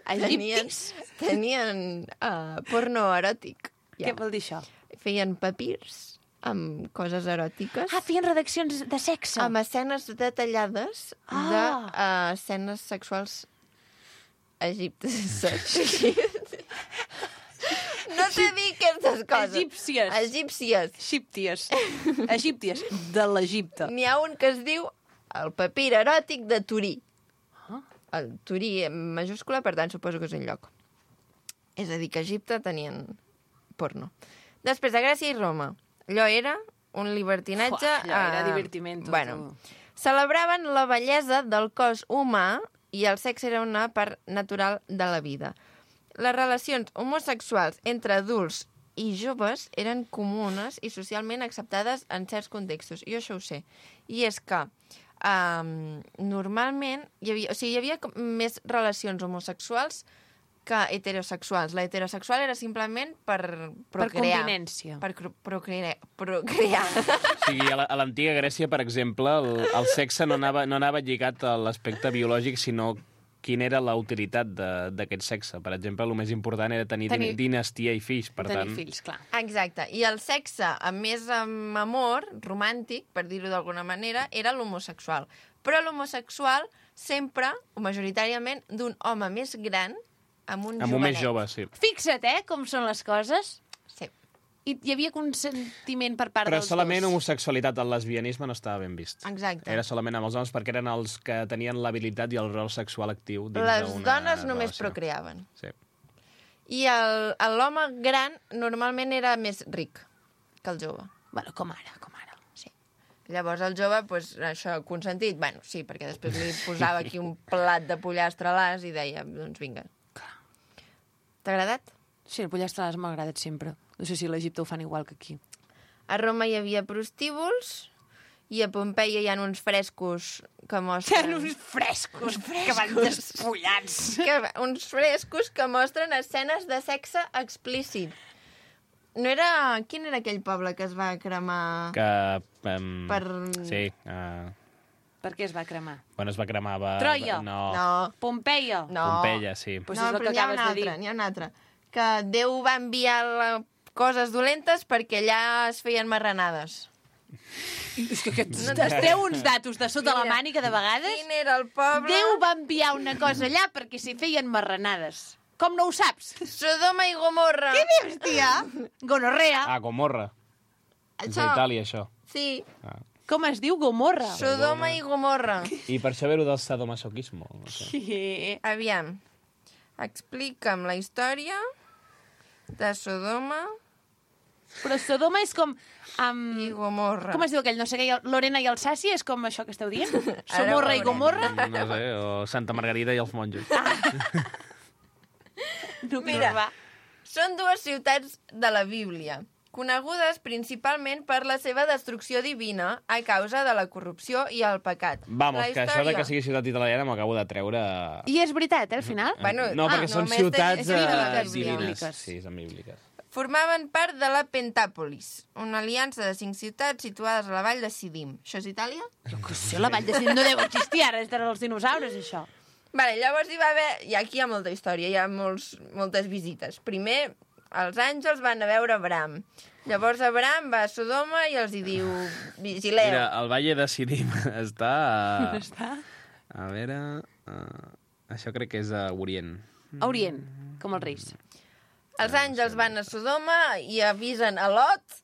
tenien, Egiptis? tenien uh, porno eròtic. Què vol dir això? Feien papirs amb coses eròtiques, Ah, feien redaccions de sexe. amb escenes detallades Ah. de uh, escenes sexuals egiptes. No sé dir aquestes coses. Egípcies. Egípcies. Egípties. Egípties. De l'Egipte. N'hi ha un que es diu el papir eròtic de Turí. Ah. El Turí en majúscula, per tant, suposo que és un lloc. És a dir, que a Egipte tenien porno. Després, a Grècia i Roma. Allò era un libertinatge... Fuà, allò era eh, divertimento, Bueno, tu. celebraven la bellesa del cos humà i el sexe era una part natural de la vida. Les relacions homosexuals entre adults i joves eren comunes i socialment acceptades en certs contextos. Jo això ho sé. I és que um, normalment hi havia, o sigui, hi havia com més relacions homosexuals que heterosexuals. La heterosexual era simplement per Per procrear. convinència. Per cro- procrear. procrear. O sigui, a la- a l'antiga Grècia, per exemple, el, el sexe no anava, no anava lligat a l'aspecte biològic, sinó quina era la utilitat de- d'aquest sexe. Per exemple, el més important era tenir, Tenir- tenir... dinastia i fills, per Tenir tant... fills, clar. Exacte. I el sexe amb més amb amor, romàntic, per dir-ho d'alguna manera, era l'homosexual. Però l'homosexual sempre, o majoritàriament, d'un home més gran amb un Amb un jovenet. més jove, sí. Fixa't, eh, com són les coses. Sí. I hi havia consentiment per part Però dels solament dos. homosexualitat, el lesbianisme no estava ben vist. Exacte. Era solament amb els homes perquè eren els que tenien l'habilitat i el rol sexual actiu dins Les d'una dones només relació. procreaven. Sí. I el- l'home gran normalment era més ric que el jove. Bueno, com ara, com ara. Sí. Llavors el jove, pues, això, consentit, bueno, sí, perquè després li posava aquí un plat de pollastre a l'as i deia, doncs vinga. T'ha agradat? Sí, el pollastre a l'as m'ha agradat sempre. No sé si a l'Egipte ho fan igual que aquí. A Roma hi havia prostíbuls i a Pompeia hi ha uns frescos que mostren... uns frescos, que van despullats. que, uns frescos que mostren escenes de sexe explícit. No era... Quin era aquell poble que es va cremar? Que... Um, Per- Sí. Uh, Per què es va cremar? bueno, es va cremar... Va, Troia. No. No, Pompeia. no. Pompeia, sí. Pues no, és el però que n'hi ha acabes una de dir. altra, n'hi ha una altra. Que Déu va enviar la... coses dolentes perquè allà es feien marranades. És que aquests no treu uns datos de sota la Mira, mànica de vegades. Quin era el poble? Déu va enviar una cosa allà perquè s'hi feien marranades. Com no ho saps? Sodoma i Gomorra. Què dius, tia? Gonorrea. Ah, Gomorra. És Això, a Itàlia, això. sí, Ah. Com es diu? Gomorra. Sodoma i Gomorra. I per això ve-ho del sadomasoquismo. No sé. Sí. Aviam, explica'm la història de Sodoma Però Sodoma és com... Um, i Gomorra. com es diu aquell? No sé què, Lorena i Alsàcia? És com això que esteu dient? Somorra i veurem. Gomorra? No sé, o Santa Margarida i els monjos. No, Mira. va. Són dues ciutats de la Bíblia, conegudes principalment per la seva destrucció divina a causa de la corrupció i el pecat. Vamos, La que això de història- que sigui ciutat italiana m'acabo de treure... I és veritat, eh, al final? Bueno, no, ah, perquè són només ciutats és bíbliques, eh, divines. bíbliques. Sí, són bíbliques. Formaven part de la Pentàpolis, una aliança de cinc ciutats situades a la vall de Sidim. Això és Itàlia? Jo que sé, la vall de Cent no deu existir ara, és dels dinosaures, això. Vale, llavors hi va haver... I aquí hi ha molta història, hi ha molts, moltes visites. Primer, els àngels van a veure Abraham. Llavors Abraham va a Sodoma i els hi diu, vigileu. Mira, el Valle de Sidim està... A... Està? A veure... Uh, això crec que és a Orient. A Orient, com els reis. Els àngels van a Sodoma i avisen a Lot.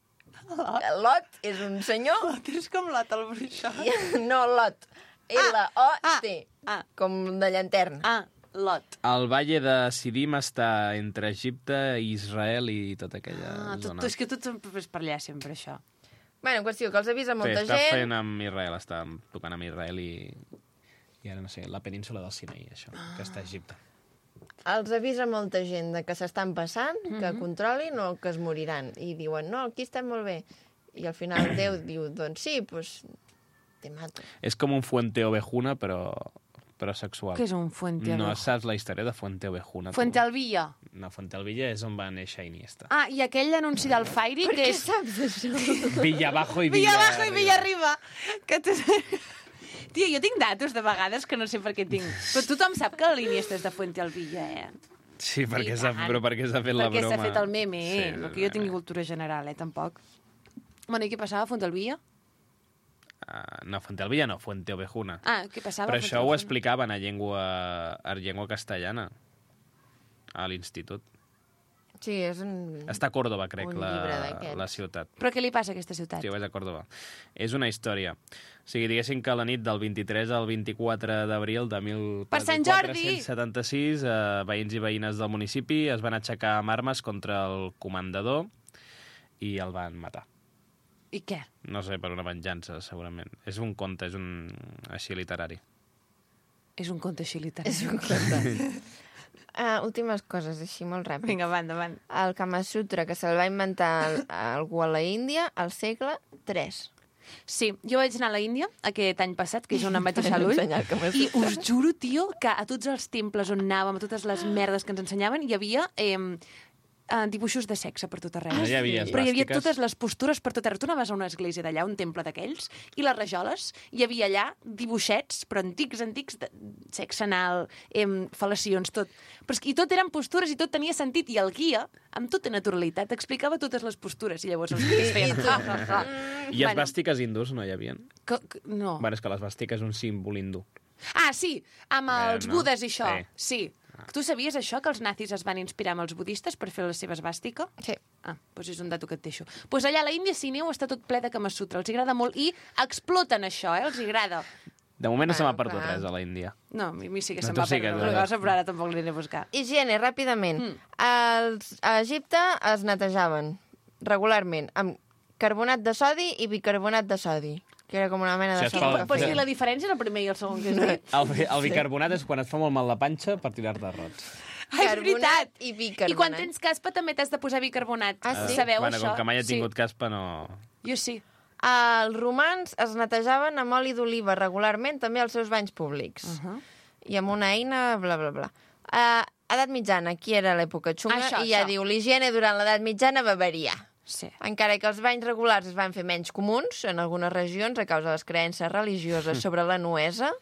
Lot és un senyor. És com l'Ot, el bruixot. I, no, Lot. L O T. Ah, Com de llanterna. ah, Lot. El Valle de Sidim està entre Egipte, Israel i tota aquella Ah, tot, zona. és que tot és per allà sempre, això. Bueno, en qüestió, que els avisa Sí, molta està gent. fent amb Israel, està tocant amb Israel i... I ara no sé, la península del Sinaí, això, que està a Egipte. Els avisa molta gent de que s'estan passant, que controlin o que es moriran. I diuen, no, aquí estem molt bé. I al final Déu diu, doncs sí, doncs te mato. És com un Fuente Ovejuna, però, però sexual. Què és un Fuente No Ovejuna? saps la història de Fuente Ovejuna? tu? Fuentealbilla. No, Fuentealbilla és on va néixer Iniesta. Ah, i aquell anunci del Fairy, Per que què és... saps això? Villa abajo i Villa, Villa abajo i Villa arriba. arriba. Que tu... Tia, jo tinc datos de vegades que no sé per què tinc. Però tothom sap que l'Iniesta és de Fuentealbilla, eh? Sí, perquè I s'ha tant. però perquè s'ha fet la Perquè broma. s'ha fet el meme, eh? Sí, No que jo tingui cultura general, eh? Tampoc. Bueno, i què passava a Fuentealbilla? Uh, no, Fuentealbilla no, Fuente Ovejuna. Ah, què passava? Però a això ho Fuentealbilla? explicaven a llengua, a llengua castellana, a l'institut. Sí, és un... Està a Còrdova, crec, Un la, llibre d'aquests. la ciutat. Però què li passa a aquesta ciutat? Sí, vaig a Còrdova. És una història. O sigui, diguéssim que la nit del vint-i-tres al vint-i-quatre d'abril de Per Sant Jordi! mil quatre-cents setanta-sis, eh, veïns i veïnes del municipi es van aixecar amb armes contra el comandador i el van matar. I què? No sé, per una venjança, segurament. És un conte, és un així literari. És un conte així literari. És un conte. Uh, últimes coses, així molt ràpid. Vinga, va, endavant. El Kama Sutra, que se'l va inventar algú a la Índia al segle tres. Sí, jo vaig anar a la Índia aquest any passat, que és on em vaig deixar l'ull, i us juro, tio, que a tots els temples on anàvem, a totes les merdes que ens ensenyaven, hi havia eh, eh, dibuixos de sexe per tot arreu. No hi havia Però hi havia esvàstiques. totes les postures per tot arreu. Tu anaves a una església d'allà, un temple d'aquells, i les rajoles, hi havia allà dibuixets, però antics, antics, de sexe anal, eh, fal·lacions, tot. Però és que, i tot eren postures i tot tenia sentit, i el guia, amb tota naturalitat, explicava totes les postures, i llavors els guies feien... ha, ha, ha. I esvàstiques hindús no hi havia? Que, que, no. Bueno, és que l'esvàstica és un símbol hindú. Ah, sí, amb Eh, els no? budes i això. Sí. Sí. Tu sabies això, que els nazis es van inspirar amb els budistes per fer la seva esvàstica? Sí. Ah, doncs és un dato que et deixo. Doncs pues allà a la Índia, si aneu, està tot ple de Kama Sutra. Els agrada molt i exploten això, eh? Els agrada. De moment no se m'ha Bueno, perdut clar. res a la Índia. No, a mi, a mi sí que No, se'm tu va sí perdre que- una cosa, però ara tampoc l'aniré a buscar. Higiene, ràpidament. Mm. Els, a Egipte es netejaven regularment amb carbonat de sodi i bicarbonat de sodi, que era com una mena O de sigui, es sopa fa- de Però fer. sí, la diferència és el primer i el segon que has dit. El, bi- el bicarbonat és quan et fa molt mal la panxa per tirar-te rots. Ah, és Carbonat veritat. i bicarbonat. I quan tens caspa també t'has de posar bicarbonat. Ah, sí? Sabeu bueno, això? com que mai he tingut Sí. caspa, no... Jo sí. Els romans es netejaven amb oli d'oliva regularment també als seus banys públics. Uh -huh. I amb una eina, bla, bla, bla. Uh, edat mitjana, aquí era l'època xunga, Això, i ja això. diu, l'higiene durant l'edat mitjana va variar. Sí. Encara que els banys regulars es van fer menys comuns en algunes regions a causa de les creences religioses sobre la nuesa,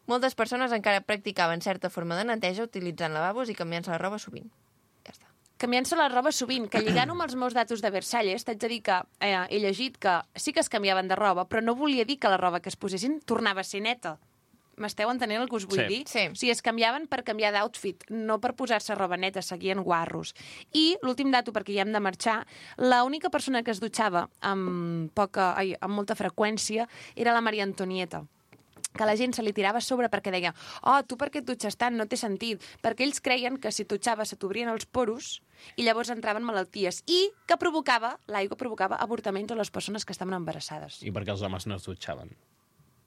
moltes persones encara practicaven certa forma de neteja utilitzant lavabos i canviant-se la roba sovint. Ja està. Canviant-se la roba sovint, que lligant amb els meus datos de Versalles, t'haig de dir que eh, he llegit que sí que es canviaven de roba, però no volia dir que la roba que es posessin tornava a ser neta. M'esteu entenent el que us vull Sí. dir? Sí. O sigui, es canviaven per canviar d'outfit, no per posar-se roba neta, seguien guarros. I l'últim dato, perquè ja hem de marxar, l'única persona que es dutxava amb, poca, ai, amb molta freqüència era la Maria Antonieta, que la gent se li tirava a sobre perquè deia oh, tu per què et dutxes tant? No té sentit. Perquè ells creien que si et dutxaves se t'obrien els poros i llavors entraven malalties i que provocava, l'aigua provocava avortaments a les persones que estaven embarassades. I perquè els homes no es dutxaven.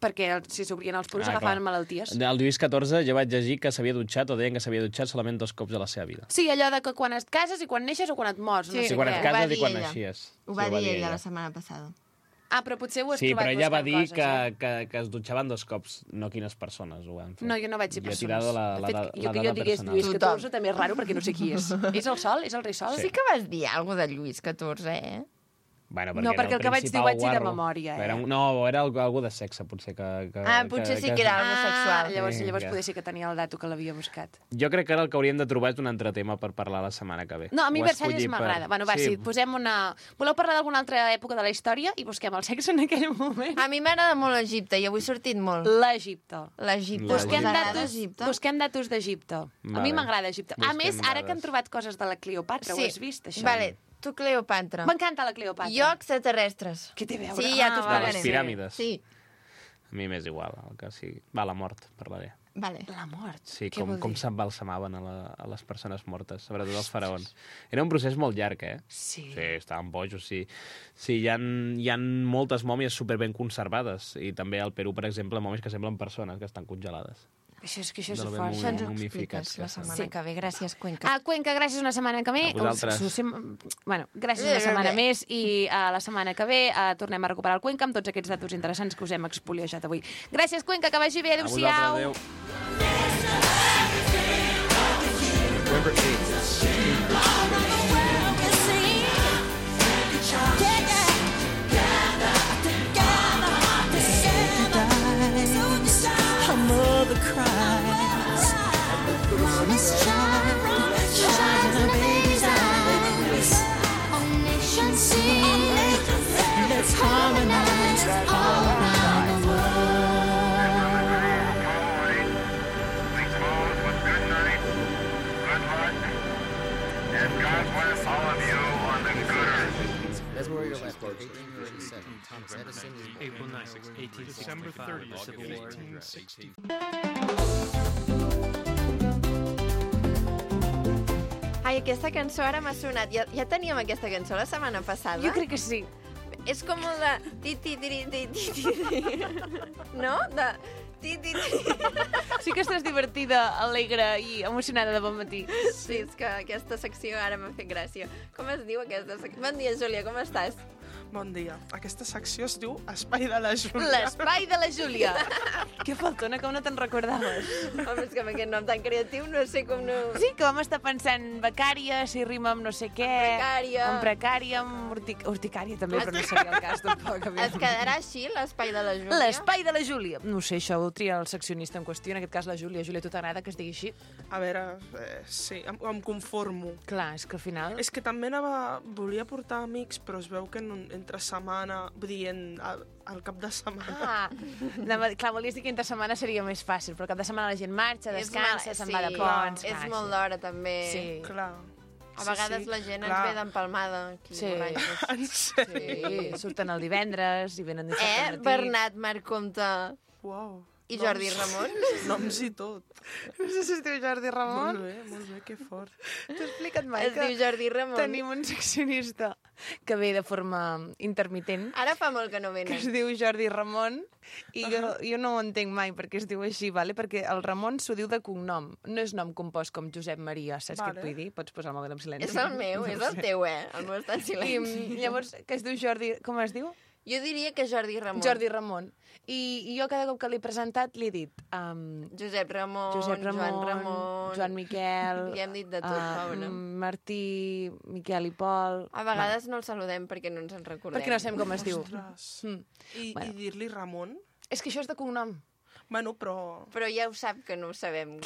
Perquè el- si s'obrien els poros Ah, agafaven clar. malalties. El Lluís catorze jo vaig llegir que s'havia dutxat o deien que s'havia dutxat solament dos cops a la seva vida. Sí, allò de que quan et cases i quan neixes o quan et mors. Sí, no Sí, sé quan què. et ho va cases dir i quan ella. naixies. Ho Sí, va dir ella la setmana passada. Ah, però potser ho has Sí, trobat però ella va buscant dir coses, que, eh? que, que es dutxaven dos cops, no quines persones ho van fer. No, jo no vaig dir Jo he persones. tirado la, De la, fet, la, jo la que jo dada digués personal. Lluís Tothom. catorze també és raro perquè no sé qui és. És el Sol? És el rei Sol? Sí que vas dir alguna de Lluís catorze, eh? No, Bueno, era perquè el que vaig dir ho principal vaig dir de guarro. memòria, eh? Era un, no, era algú, algú de sexe, potser. Que, que, Ah, potser sí que era Ah, homosexual. llavors, Sí, llavors que- poder ser que tenia el dato que l'havia buscat. Jo crec que ara el que hauríem de trobar és un altre tema per parlar la setmana que ve. No, a mi Ho Versalles escolli m'agrada. per- Bueno, va, sí. sí, posem una... Voleu parlar d'alguna altra època de la història i busquem el sexe en aquell moment? A mi m'agrada molt l'Egipte i avui he sortit molt. L'Egipte. L'Egipte. Busquem Us agrada datos, Egipte? busquem datos d'Egipte. A mi Vale. m'agrada Egipte. A Busquem més, ara que dades. han trobat coses de la Cleopatra, ho has vist, això? Vale, tu Cleopatra. M'encanta la Cleopatra. Jo extraterrestres. Què té a veure? Sí, ja t'ho Ah, De les explicaré. piràmides. Sí, A mi m'és igual, el que sigui. Va, la mort, parlaré. vale. La mort. Sí, Què com, vol com dir? s'embalsamaven a, la, a les persones mortes, sobretot els faraons. Era un procés molt llarg, eh? Sí. Sí, estaven bojos, sí. Sí, hi ha, hi ha moltes mòmies superben conservades, i també al Perú, per exemple, mòmies que semblen persones que estan congelades. Això és que això és De lo ben fort. Això ens ho momificats expliques que la estan. setmana Sí. que ve. Gràcies, Cuenca. A Cuenca, gràcies una setmana que ve. A vosaltres. Us- us- us- Bueno, gràcies una setmana més i a la setmana que ve uh, tornem a recuperar el Cuenca amb tots aquests datos interessants que us hem expoliejat avui. Gràcies, Cuenca, que vagi bé. A vosaltres, Adéu-siau. adéu. Her mother cries. Mama's child, shines in her baby's eyes. All nations sing. Let's harmonize all around the world. Please close with good night, good luck, and God bless all of you on the good earth. That's where you're left. eighteen thirty-seven. Thomas Edison is born. April ninth, eighteen sixty-five, the Civil War. eighteen sixty. Ai, aquesta cançó ara m'ha sonat. Ja, ja teníem aquesta cançó la setmana passada. Jo crec que sí. És com el de... Ti, ti, ti, ti, ti, ti, ti. No? De... Ti, ti, ti. Sí que estàs divertida, alegre i emocionada de bon matí. Sí, és que aquesta secció ara m'ha fet gràcia. Com es diu aquesta secció? Bon dia, Júlia, com estàs? Bon dia. Aquesta secció es diu Espai de la Júlia. L'espai de la Júlia. Que faltona, com no te'n recordaves? Home, és que amb aquest nom tan creatiu no sé com no... Sí, que vam estar pensant becària, si rima amb no sé què... Precària. Amb precària, amb urtic... urticària també, però no seria el cas tampoc. Es quedarà així, l'espai de la Júlia? L'espai de la Júlia. No sé, això ho tria el seccionista en qüestió, en aquest cas la Júlia. Júlia, a tu t'agrada que es digui així? A veure, eh, sí, em, em conformo. Clar, és que al final... És que també anava... Volia portar amics, però es veu que en, entre setmana, vull dir, en, al, al cap de setmana... Ah, anava, clar, volies dir que entre setmana seria més fàcil, però al cap de setmana la gent marxa, descansa, És se'n mal- va de sí, ponts... És clar, molt sí. d'hora, també. Sí. Clar. A vegades la gent ens ve d'empalmada, aquí, Sí. borratxos. En sèrio? Sí, surten el divendres i venen dissabte Eh, al matí. Bernat Marc Comte Uau. i Jordi Ramon? Noms i tot. No sé si es diu Jordi Ramon. Molt bé, molt bé, que fort. T'ho he explicat mai Es que diu Jordi Ramon. tenim un seccionista que ve de forma intermitent, Ara fa molt que no que es venen. diu Jordi Ramon, i jo, jo no ho entenc mai perquè es diu així, vale? Perquè el Ramon s'ho diu de cognom, no és nom compost com Josep Maria, saps Vale. què et vull dir? Pots posar el mòbil en silenci. És el meu, és el teu, eh? El meu està en I silenci. mm, llavors, que es diu Jordi... Com es diu? Jo diria que Jordi Ramon. Jordi Ramon. I, I jo cada cop que l'he presentat li he dit... Um, Josep Ramon, Josep Ramon, Joan Ramon... Joan Miquel... Li hem dit de tot, ah, pobre. Martí, Miquel i Pol... A vegades no el saludem perquè no ens en recordem. Perquè no sabem com es diu. Ostres. Mm. I, Bueno. i dir-li Ramon? És que això és de cognom. Bueno, però... Però ja ho sap que no ho sabem.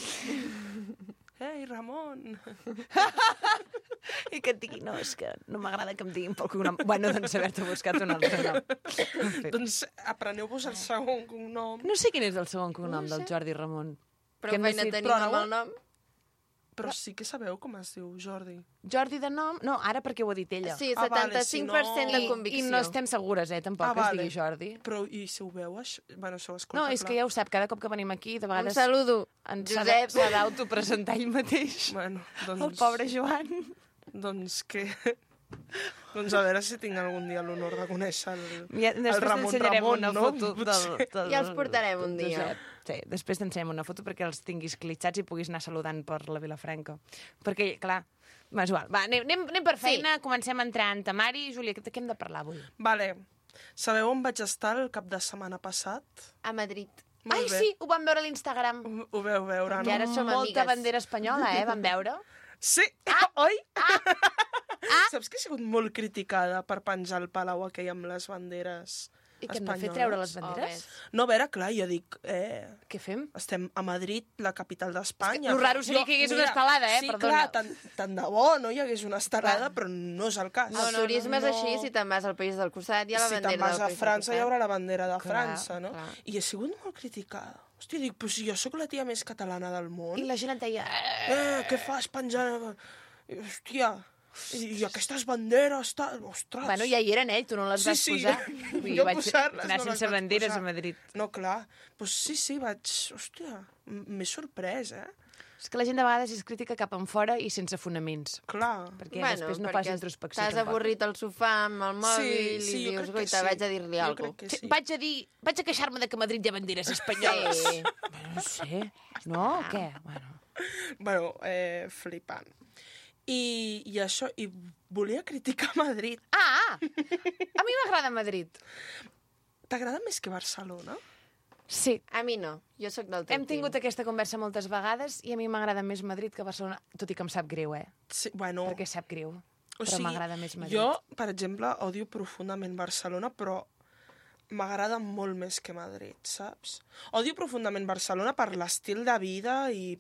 Ei, Ramon! I que et digui, no, és que no m'agrada que em diguin pel cognom. Bueno, doncs haver-te buscat un altre nom. En fi. Doncs apreneu-vos el segon cognom. No sé quin és el segon cognom del Jordi Ramon. Però Que feina necessit- tenim però amb no- el nom. Però sí que sabeu com es diu, Jordi. Jordi de nom? No, ara perquè ho ha dit ella. Sí, Ah, vale, setanta-cinc per cent si de no- I, convicció. I no estem segures, eh, tampoc, Ah, que es vale. digui Jordi. Però, i si ho veu, això? Bueno, això ho escolta, No, és clar. que ja ho sap, cada cop que venim aquí, de Un vegades saludo, ens s'ha Josep. de- s'ha d'autopresentar ell mateix. Bueno, doncs... El pobre Joan. Doncs que... doncs a veure si tinc algun dia l'honor de conèixer el, Ja, el després Ramon t'ensenyarem Ramon, una no? foto del, Potser. del... Ja els portarem un del dia. Josep. Sí, després t'ensenyem una foto perquè els tinguis clitxats i puguis anar saludant per la Vilafranca. Perquè, clar, és igual. Va, anem, anem, anem per feina, sí. Comencem a entrar en temari. Júlia, de què hem de parlar avui? Vale. Sabeu on vaig estar el cap de setmana passat? A Madrid. Molt Ai, bé. sí, ho vam veure a l'Instagram. Ho, ho veu veure, I no? ara som Molta amigues. bandera espanyola, eh, vam veure. Sí! Ah, oi? Ah. Ah. Saps que he sigut molt criticada per penjar el palau aquell amb les banderes I que hem de espanyoles? fer treure les Oh, banderes? ves. No, a veure, clar, jo dic... Eh, Què fem? estem a Madrid, la capital d'Espanya. lo raro seria que hi hagués una estelada, eh? Sí, Perdona. clar, tant, tant de bo no hi hagués una estelada, però no és el cas. El turisme és així, si te'n vas al país del costat hi ha la si bandera te'n vas del a país França del hi costat. haurà la bandera de Clar, França, no? clar. I he sigut molt criticada. Hòstia, dic, però si jo sóc la tia més catalana del món. I la gent et deia... Eh, què fas penjant... I, hòstia, i, i aquestes banderes... Ta... Ostres! Bueno, ja hi eren, eh? Tu no les Sí, vas sí, posar. jo- Vull dir, jo vaig posar-les anar no les sense vaig banderes posar. a Madrid. No, clar. Pues sí, sí, vaig... Hòstia, m- m'he sorprès, eh? És que la gent de vegades és crítica cap en fora i sense fonaments. Clar. Perquè bueno, després no fas perquè introspecció. T'has tampoc. avorrit al sofà amb el mòbil sí, i jo dius, crec que goita, sí. vaig a dir-li Jo alguna crec que Sí, sí. vaig a dir... Vaig a queixar-me de que a Madrid hi ha banderes espanyoles. Sí. Bueno, no sé. No? O què? Bueno. Bueno, eh, flipant. I, I això, i volia criticar Madrid. Ah! A mi m'agrada Madrid. T'agrada més que Barcelona? Sí. A mi no, jo sóc del teu Hem tingut aquesta conversa moltes vegades i a mi m'agrada més Madrid que Barcelona, tot i que em sap greu, eh? Sí, bueno... Perquè sap greu. O Però sigui, m'agrada més Madrid. Jo, per exemple, odio profundament Barcelona, però m'agrada molt més que Madrid, saps? Odio profundament Barcelona per l'estil de vida i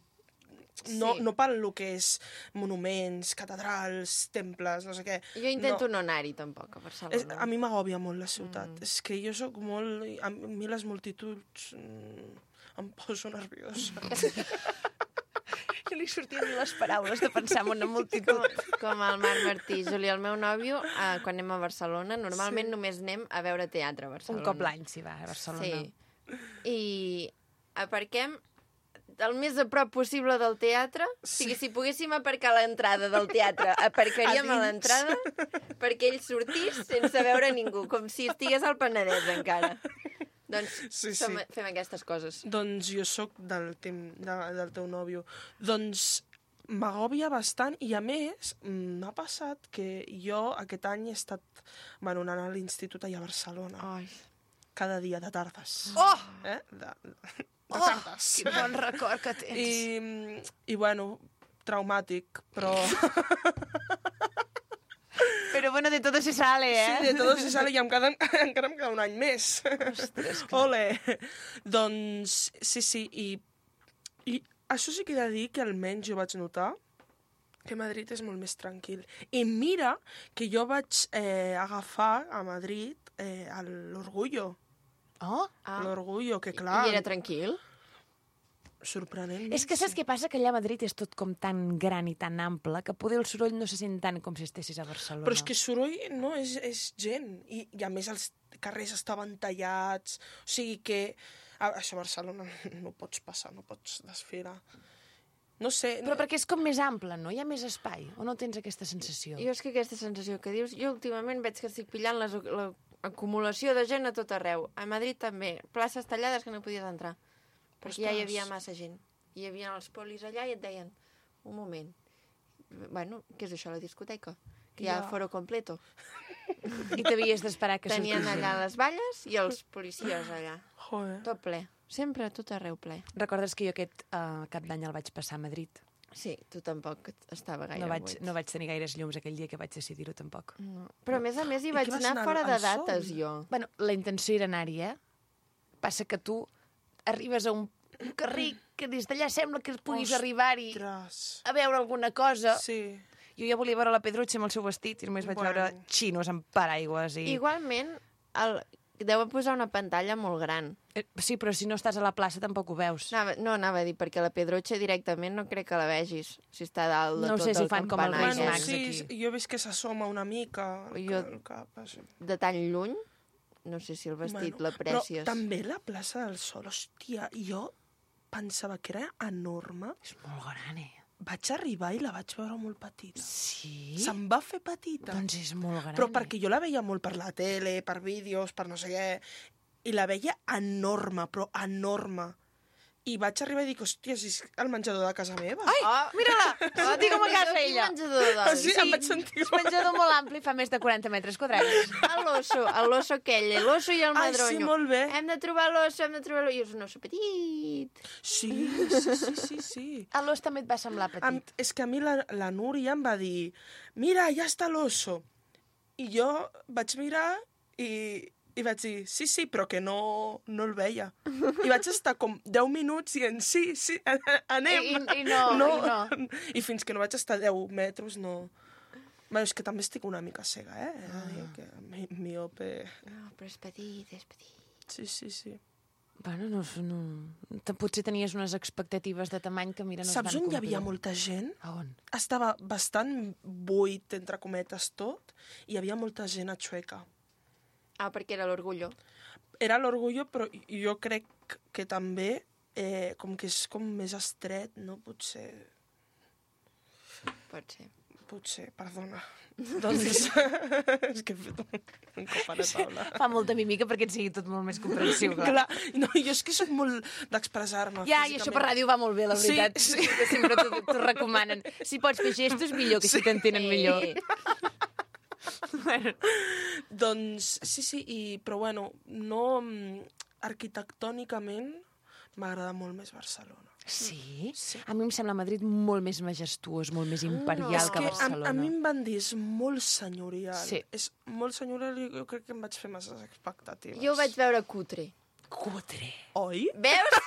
no, Sí. no pel lo que és monuments, catedrals, temples, no sé què. Jo intento no, no anar-hi, tampoc, a És, Barcelona. a mi m'agòbia molt la ciutat. Mm. És que jo sóc molt... A mi les multituds mm, em poso nerviosa. Jo li sortien les paraules de pensar en una multitud. Com, com el Marc Martí. Júlia, el meu nòvio, eh, quan anem a Barcelona, normalment Sí. només anem a veure teatre a Barcelona. Un cop l'any s'hi va, a Barcelona. Sí. I aparquem el més a prop possible del teatre. Sí. O sigui, si poguéssim aparcar a l'entrada del teatre, aparcaríem a, A dins. l'entrada perquè ell sortís sense veure ningú, com si estigués al Penedès encara. Doncs Sí, sí. som, fem aquestes coses. Doncs jo sóc del, tem, de, del teu nòvio. Doncs m'agòbia bastant i, a més, m'ha passat que jo aquest any he estat bueno, anant a l'institut allà a Barcelona. Ai. Cada dia, de tardes. Oh! Eh? De, de Oh, tardes. quin bon record que tens. I, I, bueno, traumàtic, però... Però, bueno, de todo se sale, eh? Sí, de tot se sale i em queda, encara em queda un any més. Ostres, que... Ole! Doncs, sí, sí, i, i això sí que he de dir que almenys jo vaig notar que Madrid és molt més tranquil. I mira que jo vaig eh, agafar a Madrid eh, l'Orgullo. Oh? Ah. L'Orgullo, que clar... I era tranquil? Sorprenent. És que saps què passa? Que allà a Madrid és tot com tan gran i tan ample que poder el soroll no se sent tant com si estessis a Barcelona. Però és que soroll no és, és gent. I, I a més els carrers estaven tallats. O sigui que... A, això a Barcelona no pots passar, no pots desfilar. No sé... Però perquè és com més ample, no? Hi ha més espai. O no tens aquesta sensació? Jo és que aquesta sensació que dius... Jo últimament veig que estic pillant les, l'acumulació de gent a tot arreu. A Madrid també. Places tallades que no podies entrar. Perquè ja hi havia massa gent. Hi havia els polis allà i et deien un moment. Bueno, què és això, la discoteca? Que ja, Ja. foro completo. I t'havies d'esperar que Tenien sortís. allà les valles i els policies allà. Joder. Tot ple. Sempre a tot arreu ple. Recordes que jo aquest uh, cap d'any el vaig passar a Madrid? Sí, tu tampoc estava gaire No vaig, buit. no vaig tenir gaires llums aquell dia que vaig decidir-ho, tampoc. No. Però a més a més hi I vaig què vas anar anar fora al de sol? dates, jo. Bueno, la intenció era anar-hi, eh? Passa que tu arribes a un, un carrer que des d'allà sembla que puguis Ostres. arribar-hi a veure alguna cosa. Sí. Jo ja volia veure la Pedrutxa amb el seu vestit i només vaig Bueno. veure xinos amb paraigües. I... Igualment, el... deuen posar una pantalla molt gran. Eh, Sí, però si no estàs a la plaça tampoc ho veus. Anava, no, anava a dir, perquè la Pedrotxa directament no crec que la vegis, si està dalt de No tot sé si el fan com els campanar. Reis Bueno, Mags sí, aquí. jo he vist que s'assoma una mica el, Jo- el cap. Això. De tan lluny, no sé si el vestit Bueno, l'aprècies. Però també la plaça del Sol, hòstia, jo pensava que era enorme. És molt gran, eh? Vaig arribar i la vaig veure molt petita. Sí? Se'm va fer petita. Doncs és molt gran. Però perquè jo la veia molt per la tele, per vídeos, per no sé què, i la veia enorme, però enorme. I vaig arribar i dic, hòstia, si és el menjador de casa meva. Ai, Oh, mira-la! Oh, dic com a casa Quin ella. menjador de Ah, dalt. sí, em vaig sentir... És un menjador molt ampli, fa més de quaranta metres quadrats. L'oso, l'oso aquell, l'oso i el Ai, sí, madronyo. molt bé. Hem de trobar l'oso, hem de trobar l'oso. I és un oso petit. Sí, sí, sí, sí, sí. A l'os també et va semblar petit. Am, és que a mi la, la Núria em va dir mira, ja està l'oso. I jo vaig mirar i, i vaig dir sí, sí, però que no, no el veia. I vaig estar com deu minuts i en sí, sí, anem. I- i no, no. i no. I fins que no vaig estar deu metres, no... Bueno, és que també estic una mica cega, eh? He de dir que mi, miope... No, però és petit, és petit. Sí, sí, sí. Bueno, no, no... te- Potser tenies unes expectatives de tamany que, mira, no es van Saps on hi complir. havia molta gent? A on? Estava bastant buit, entre cometes, tot, i hi havia molta gent a Chueca. Ah, perquè era l'orgullo. Era l'orgullo, però jo crec que també, eh, com que és com més estret, no? Potser... Pot ser. Potser, perdona. Doncs... és que he fet un, un cop a la taula. Fa molta mímica perquè et sigui tot molt més comprensiu, clar. Clar, no, jo és que soc molt d'expressar-me Ja, i això per ràdio va molt bé, la Sí, veritat. sí. Que sempre t'ho t'ho recomanen. Si pots fer gestos, millor, que si t'entenen millor. Bueno. Doncs sí, sí, i, però bueno, no... mm, arquitectònicament m'agrada molt més Barcelona. Sí? Sí. A mi em sembla Madrid molt més majestuós, molt més imperial És que que a, Barcelona. a mi em van dir, és molt senyorial. Sí. És molt senyorial i jo crec que em vaig fer masses expectatives. Jo ho vaig veure cutre. Cutre. Oi? Veus?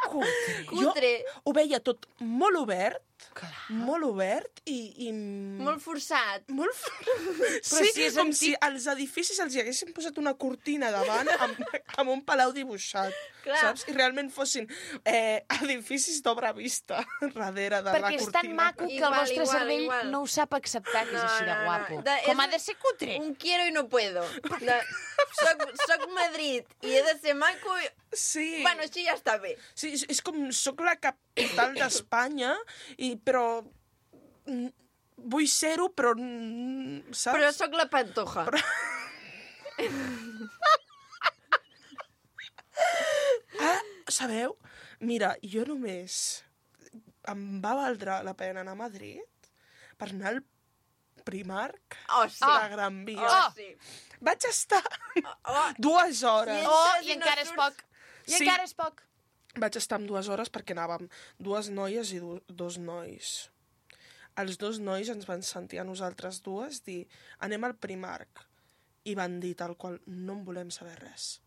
Cutre. Cutre. Jo ho veia tot molt obert, Clar. molt obert i... i... Molt forçat. Molt... Però sí, si és com antic- si als edificis els hi haguessin posat una cortina davant amb, amb un palau dibuixat, Clar. saps? I realment fossin eh, edificis d'obra vista darrere de la Perquè és cortina. tan maco que el Igual, vostre igual, cervell igual. no ho sap acceptar, que és així de guapo. De- Com és ha de ser cutre. Un quiero i no puedo. De, soc, soc Madrid i he de ser maco i... Sí. Bueno, així ja està bé. Sí, és, és com, soc la capital d'Espanya, i però mm, vull ser-ho, però mm, saps? Però sóc la Pantoja. Però... Ah, sabeu? Mira, jo només... em va valdre la pena anar a Madrid per anar al Primark Oh, sí. de la Gran Via. Oh, sí. Vaig estar Oh, dues hores. Oh, I i encara és poc. I Sí. encara és poc. Vaig estar amb dues hores perquè anàvem dues noies i du dos nois. Els dos nois ens van sentir a nosaltres dues dir anem al Primark. I van dir tal qual, no en volem saber res.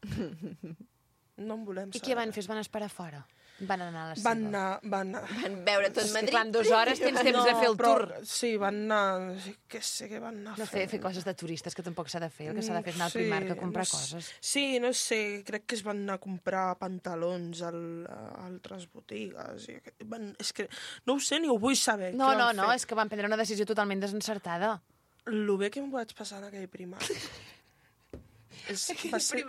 No en volem I saber què van res. fer? Es van esperar fora? Van anar a la seva? Van anar... Van anar... Van veure tot És que, Madrid. clar, en dues hores tens temps de fer el però, tour. Sí, van anar... Què sé què van anar No fer, fer coses de turistes, que tampoc s'ha de fer. El que s'ha de fer és anar al Sí, Primark a comprar no sé. coses. Sí, no sé, crec que es van anar a comprar pantalons al, a altres botigues. I aquest- van, és que no ho sé ni ho vull saber. No, què no, van no, fer. és que van prendre una decisió totalment desencertada. Lo bé que em vaig passar en aquell Primark. és, va ser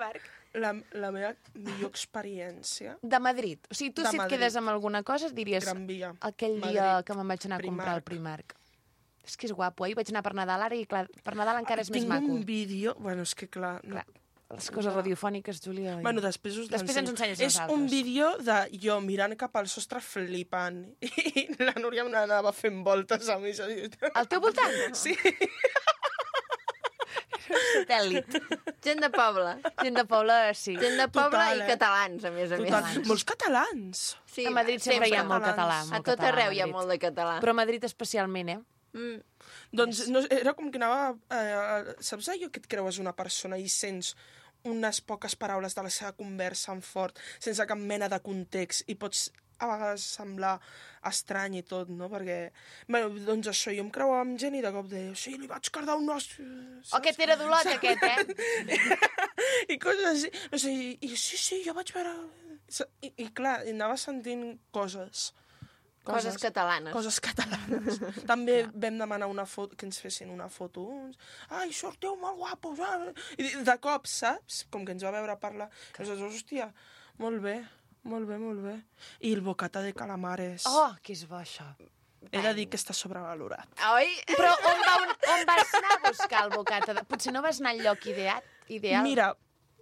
la, la meva millor experiència. De Madrid. O sigui, tu De si et Madrid. quedes amb alguna cosa diries Gran Via. aquell Madrid, dia que me'n vaig anar a comprar al Primark. Primark. És que és guapo. Ahir vaig anar per Nadal, ara i clar, per Nadal encara és més Tinc maco. un vídeo... Bueno, és que clar... No, Clar, les coses radiofòniques, Júlia... Bueno, després us Després ens l'ensenyo. ensenyes És nosaltres. un vídeo de jo mirant cap al sostre flipant i la Núria anava fent voltes a mi. Al teu voltant? Sí. Satèl·lit. Gent de poble. Gent de poble, sí. Gent de poble Total, i eh? catalans, a més a Total. més. Molts catalans. Sí, A Madrid sempre hi ha molt català. A Molt tot català, arreu hi ha Madrid. molt de català. Però a Madrid especialment, eh? Mm. Doncs no, era com que anava... Eh, saps allò que et creues una persona i sents unes poques paraules de la seva conversa en fort, sense cap mena de context, i pots a vegades semblar estrany i tot, no? Perquè, bueno, doncs això, jo em creuava amb gent i de cop deia, sí, li vaig cardar un os... O aquest era d'Olot, aquest, eh? I coses així. No sé, i, i sí, sí, jo vaig veure... I, i clar, i anava sentint coses. Coses catalanes. Coses catalanes. També vam demanar una foto, que ens fessin una foto uns. Ai, sortiu molt guapos. Ah. I de cop, saps? Com que ens va veure parlar. I nosaltres, hòstia, molt bé, molt bé, molt bé. I el bocata de calamares. Oh, que és bo, això. He de dir que està sobrevalorat. Oi? Però on, va, on, on vas anar a buscar el bocata? De... Potser no vas anar al lloc ideat, ideal? Mira,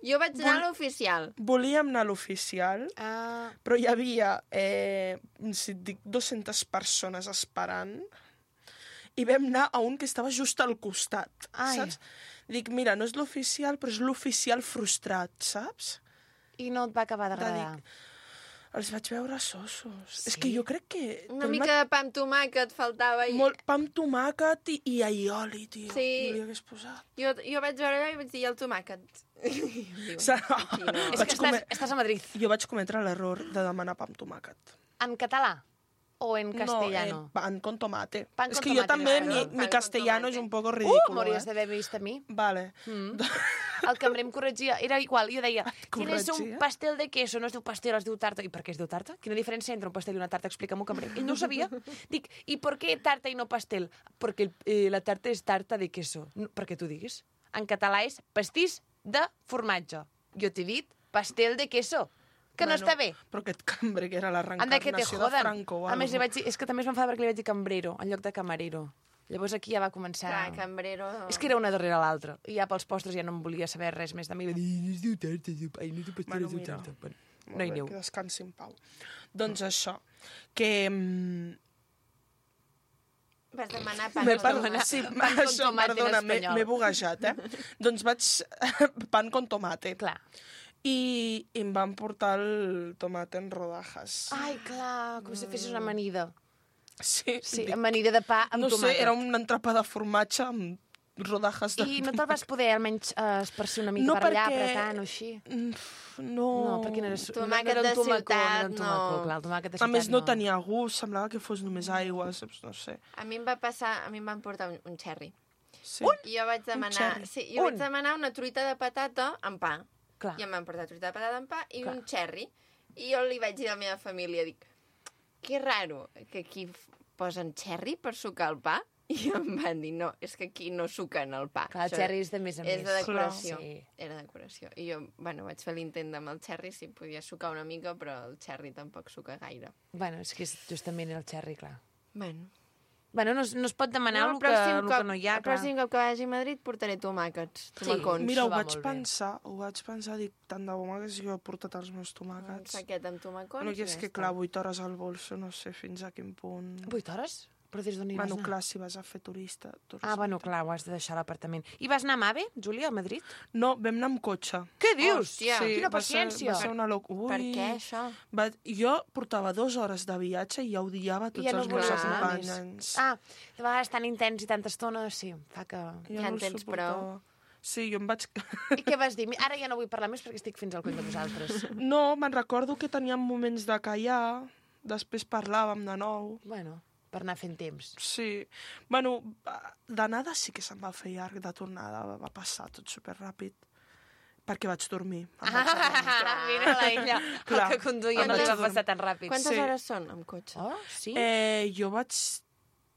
Jo vaig anar a l'oficial. volíem anar a l'oficial, Ah, però hi havia, eh, si et dic, dues-centes persones esperant i vam anar a un que estava just al costat, Ai. saps? Dic, mira, no és l'oficial, però és l'oficial frustrat, saps? i no et va acabar De d'agradar. dic, els vaig veure sossos. Sí? És que jo crec que... Una el mica de pa amb tomàquet faltava. I... Molt pa amb tomàquet i, i aioli, tio. Sí. Jo li hagués posat. Jo, jo vaig veure allò i vaig dir, "I el tomàquet?" Diu, Sa- aquí no. És Vaig que estàs, comer- estàs a Madrid. Jo vaig cometre l'error de demanar pa amb tomàquet. En català o en castellano? No, eh, pan con tomate. Pan es con que yo tomate, también, claro. mi, Pan mi con castellano tomate. es un poco Uh, ridículo. m'hauries eh? d'haver vist a mi. Vale. Mm. El cambrer em corregia, era igual, jo deia, tienes un corregia? pastel de queso, no es diu pastel, es diu tarta. I per què es diu tarta? Quina diferència entre un pastel i una tarta? Explica-m'ho, cambrer. Ell no ho sabia. Dic, i per què tarta i no pastel? Perquè el, eh, la tarta és tarta de queso. No, perquè tu diguis. En català és pastís de formatge. Jo t'he dit pastel de queso. Que no Bueno, està bé. Però aquest cambrer que era la Anda, que te reencarnació de joden. Franco. o A més, li algo. vaig dir, és que també es va enfadar perquè li vaig dir cambrero, en lloc de camarero. Llavors aquí ja va començar... Clar, cambrero... És que era una darrere l'altra. I ja pels postres ja no em volia saber res més de mi. Va dir, "No es diu tarta, es diu- ai, no es diu pastel, Bueno, es diu mira. tarta." Bueno, Molt no hi bé, aneu. Que descansi en pau. Doncs això, que... mm, Vas demanar pa M'he amb per... tomàquet. sí, pan con això, tomate en perdona, m'he espanyol. m'he buguejat, eh? Doncs vaig... pan con tomate. Clar. I, I em van portar el tomate en rodajas. Ai, clar, com si fessis una amanida. Sí, Sí, dic, amanida de pa amb no tomàquet. sé, era un entrepà de formatge amb rodajas de... I no te'l vas poder almenys eh, esparcir una mica No, per allà, perquè- apretant o així? Mm, No... No, perquè no era... Tomàquet no era de un tomacó, ciutat, no era un tomacó, no. clar, el tomàquet de A ciutat més, no tenia gust, semblava que fos només aigua, saps? No sé. A mi em va passar... A mi em van portar un, un xerri. Sí. I jo vaig demanar... xerri. Sí, jo Un? vaig demanar una truita de patata amb pa. Clar. I em van portar truita de patata amb pa i Clar. un xerri. I jo li vaig dir a la meva família, dic, que raro que aquí f- posen xerri per sucar el pa. I em van dir, no, és que aquí no suquen el pa. Clar, el Això xerri és de més a més. És de decoració. Clar, sí. Era decoració. I jo, bueno, vaig fer l'intent amb el xerri, si podia sucar una mica, però el xerri tampoc suca gaire. Bueno, és que és justament el xerri, clar. Bueno, Bueno, no, es- no es pot demanar el el, que, pròxim el cop- que no hi ha, El clar. pròxim cop que vagi a Madrid portaré tomàquets, tomacons. Mira, ho va vaig molt bé. pensar, ho vaig pensar, dic, tant de bo m'hagués jo portat els meus Un tomàquets. saquet amb tomacons. Bueno, que i és ja que, està. clar, vuit hores al bolso, no sé fins a quin punt... Vuit hores? Però des d'on hi vas Bueno, anar? clar, si vas a fer turista... turista. Ah, bueno, clar, ho has de deixar a l'apartament. I vas anar amb AVE, Júlia, a Madrid? No, vam anar amb cotxe. Què dius? Hòstia, Quina va ser, paciència! va ser una loc... Ui. Per què, això? Va... Jo portava dues hores de viatge i ja odiava tots I ja no els meus volies anar acompanyants. Ah, de vegades tan intens i tanta estona, sí, fa que... Ja en no el tens suportava. Sí, jo em vaig... I què vas dir? Ara ja no vull parlar més perquè estic fins al coll de vosaltres. No, me'n recordo que teníem moments de callar, després parlàvem de nou. Bueno, per anar fent temps. Sí. Bueno, d'anada sí que se'm va fer llarg, de tornada va passar tot superràpid. Perquè vaig dormir. Em vaig adormir. Ah, mira la ella, el Clar. que conduïa no Quantes- li va passar tan ràpid. Quantes Sí. hores són amb cotxe? Oh, sí? Eh, jo vaig...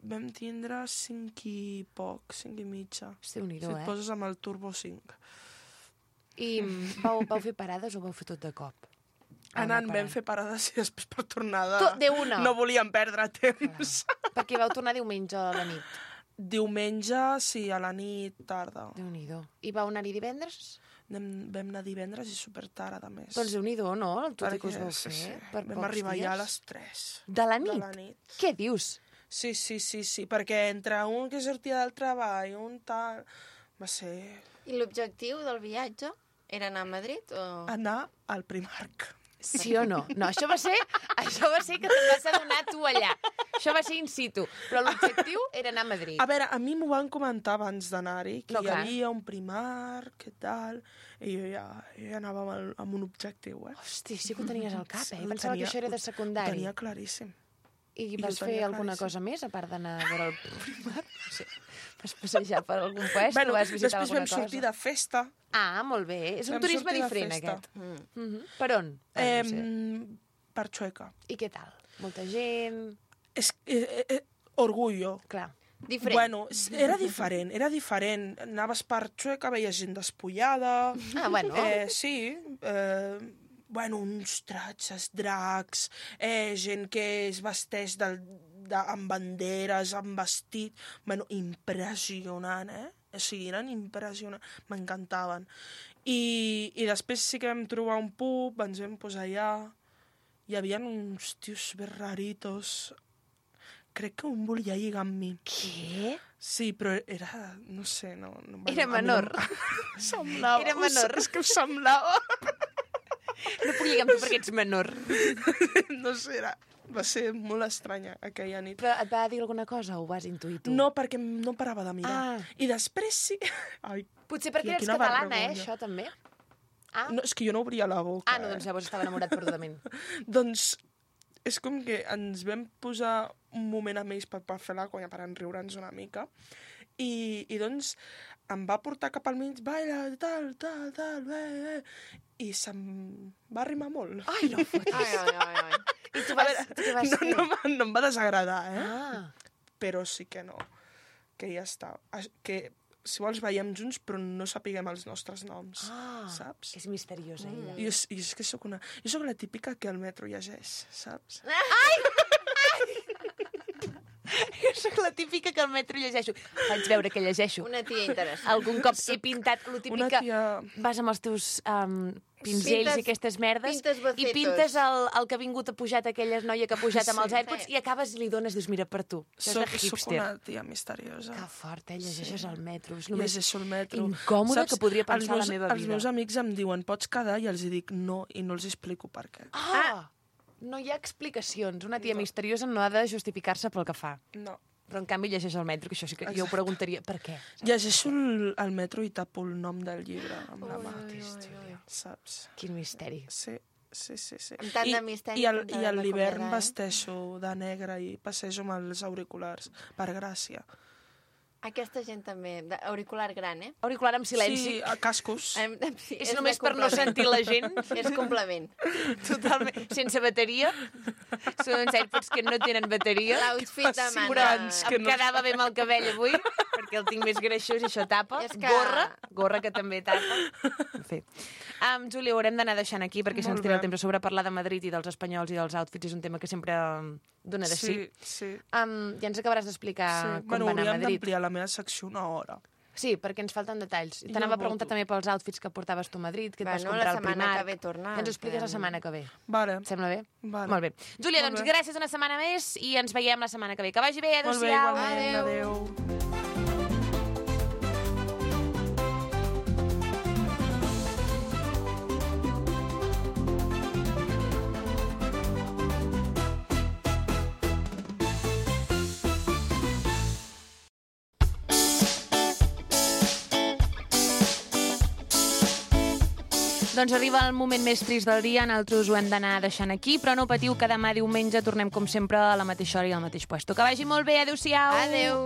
Vam tindre cinc i poc, cinc i mitja. Hosti, déu nhi Si et eh? poses amb el turbo cinc. I mm, vau, vau fer parades o vau fer tot de cop? Anant, Anar vam fer parades i després per tornada... Tot de una? No volíem perdre temps. Perquè vau tornar diumenge a la nit. Diumenge, sí, a la nit, tarda. Déu-n'hi-do. I vau anar-hi divendres? Anem, vam anar divendres i super tard, a més. Doncs déu-n'hi-do, no? El tot i que us Perquè, vau fer. sí, sí. Per Vam pocs arribar dies. ja a les tres. De la nit? De la nit. Què dius? Sí, sí, sí, sí, perquè entre un que sortia del treball, un tal... Va ser I l'objectiu del viatge era anar a Madrid o... anar al Primark. Sí o no? No, això va ser, això va ser que te'n vas adonar tu allà. Això va ser in situ. Però l'objectiu era anar a Madrid. A veure, a mi m'ho van comentar abans d'anar-hi, que No, hi clar. havia un Primark, que tal, i jo ja, jo ja anava amb, el, amb un objectiu, eh? Hosti, sí que ho tenies al cap, eh? Ho Pensava tenia- que això era de ho secundari. Tenia claríssim. I I vas ho fer tenia alguna claríssim. cosa més, a part d'anar a veure el Primark? Sí. Vas passejar per algun puesto? Bueno, vas visitar després alguna vam cosa? sortir de festa. Ah, molt bé. És un Vam turisme sortir de diferent, festa. aquest. Mm. Mhm. Per on? Ah, Eh, no sé. per Xueca. I què tal? Molta gent... És, eh, eh, orgullo. Clar. Diferent. Bueno, s- era diferent, era diferent. Anaves per Xueca, veies gent despullada. Ah, bueno. Eh, sí, eh, bueno, uns tratges, dracs, eh, gent que es vesteix del, de, amb banderes, amb vestit... Bueno, impressionant, eh? O sigui, eren impressionants, m'encantaven. I, I després sí que vam trobar un pub, ens vam posar allà, hi havia uns tios super raritos. Crec que un volia lligar amb mi. Què? Sí, però era... No sé, no... no Era a mi menor. No, em semblava... Era menor. És que em semblava... No puc lligar amb tu perquè ets menor. No sé, era... Va ser molt estranya aquella nit. Però et va dir alguna cosa o ho vas intuir tu? No, perquè no parava de mirar. Ah. I després sí... Ai, Potser perquè tia, eres quina catalana, eh, vergonya. això també? Ah, no, és que jo no obria la boca. ah no, doncs llavors estava enamorat perdudament. Eh? Doncs és com que ens vam posar un moment amb ells per, per fer la conya, per enriure'ns una mica. I, I doncs em va portar cap al mig, baila, tal, tal, tal, eh, eh. I se'm va arrimar molt. Ai, no fotis. Ai, ai, ai, ai. I tu A vas, veure, tu què vas no, fer? no, em- no em va desagradar, eh? Ah, Però sí que no. Que ja està. As- Que, si vols, veiem junts, però no sapiguem els nostres noms. ah, Saps? és misteriosa, ella. Jo, és- jo és que sóc una... Jo sóc la típica que al metro llegeix, saps? Jo sóc la típica que al metro llegeixo. Faig veure que llegeixo. Una tia interessant. Algun cop he pintat lo Una típic que tia... vas amb els teus um, pinzells Pintes- i aquestes merdes pintes i bocetos. pintes el, el que ha vingut a pujat, aquella noia que ha pujat amb Sí. els AirPods i acabes i li dones, dius, mira, per tu. Això és Soc, de soc hipster. una tia misteriosa. Que fort, eh? Llegeixes al metro. És només Llegeixo el metro. incòmode que podria els pensar meus, la meva Els vida. meus amics em diuen, pots quedar? I els hi dic no, i no els explico per què. Ah! No hi ha explicacions. Una tia misteriosa no ha de justificar-se pel que fa. No. Però, en canvi, llegeix al metro, que això sí que jo ho preguntaria. Per què? Llegeixo el, el metro i tapo el nom del llibre amb la mà. Saps? Quin misteri. Sí, sí, sí. sí. Amb tant I, de misteri, I, el, com t'ha i a de l'hivern recomanar, eh? vesteixo de negre i passejo amb els auriculars, per gràcia. Aquesta gent també, de- auricular gran, eh? Auricular amb silenci. Sí, a cascos. Em- sí, És de només per no complement. sentir la gent. És complement. Totalment. Sense bateria. Són uns AirPods que no tenen bateria. L'outfit de mana. Segurants que Em no- quedava bé amb el cabell avui, perquè el tinc més greixós i això tapa. És que- Gorra, gorra que també tapa. En fi. Um, Júlia, ho haurem d'anar deixant aquí, perquè si Molt ens tira el bé. temps a sobre parlar de Madrid i dels espanyols i dels outfits és un tema que sempre um, d'una d'ací. Sí, sí. Um, ja ens acabaràs d'explicar sí. com Bueno, va anar a hauríem Madrid. d'ampliar la meva secció una hora. Sí, perquè ens falten detalls. Jo T'anava a voto. preguntar també pels outfits que portaves tu a Madrid, que et vas Bueno, comprar la al setmana Primark. que ve tornar, Ja ens ho expliques que- la setmana que ve. Vale. Et sembla bé? Vale. Molt bé. Júlia, Molt doncs bé. gràcies una setmana més i ens veiem la setmana que ve. Que vagi bé, Molt bé, adéu-siau. igualment. Adéu. Doncs arriba el moment més trist del dia, nosaltres ho hem d'anar deixant aquí, però no patiu que demà diumenge tornem com sempre a la mateixa hora i al mateix puesto. Que vagi molt bé, adéu-siau. Adéu.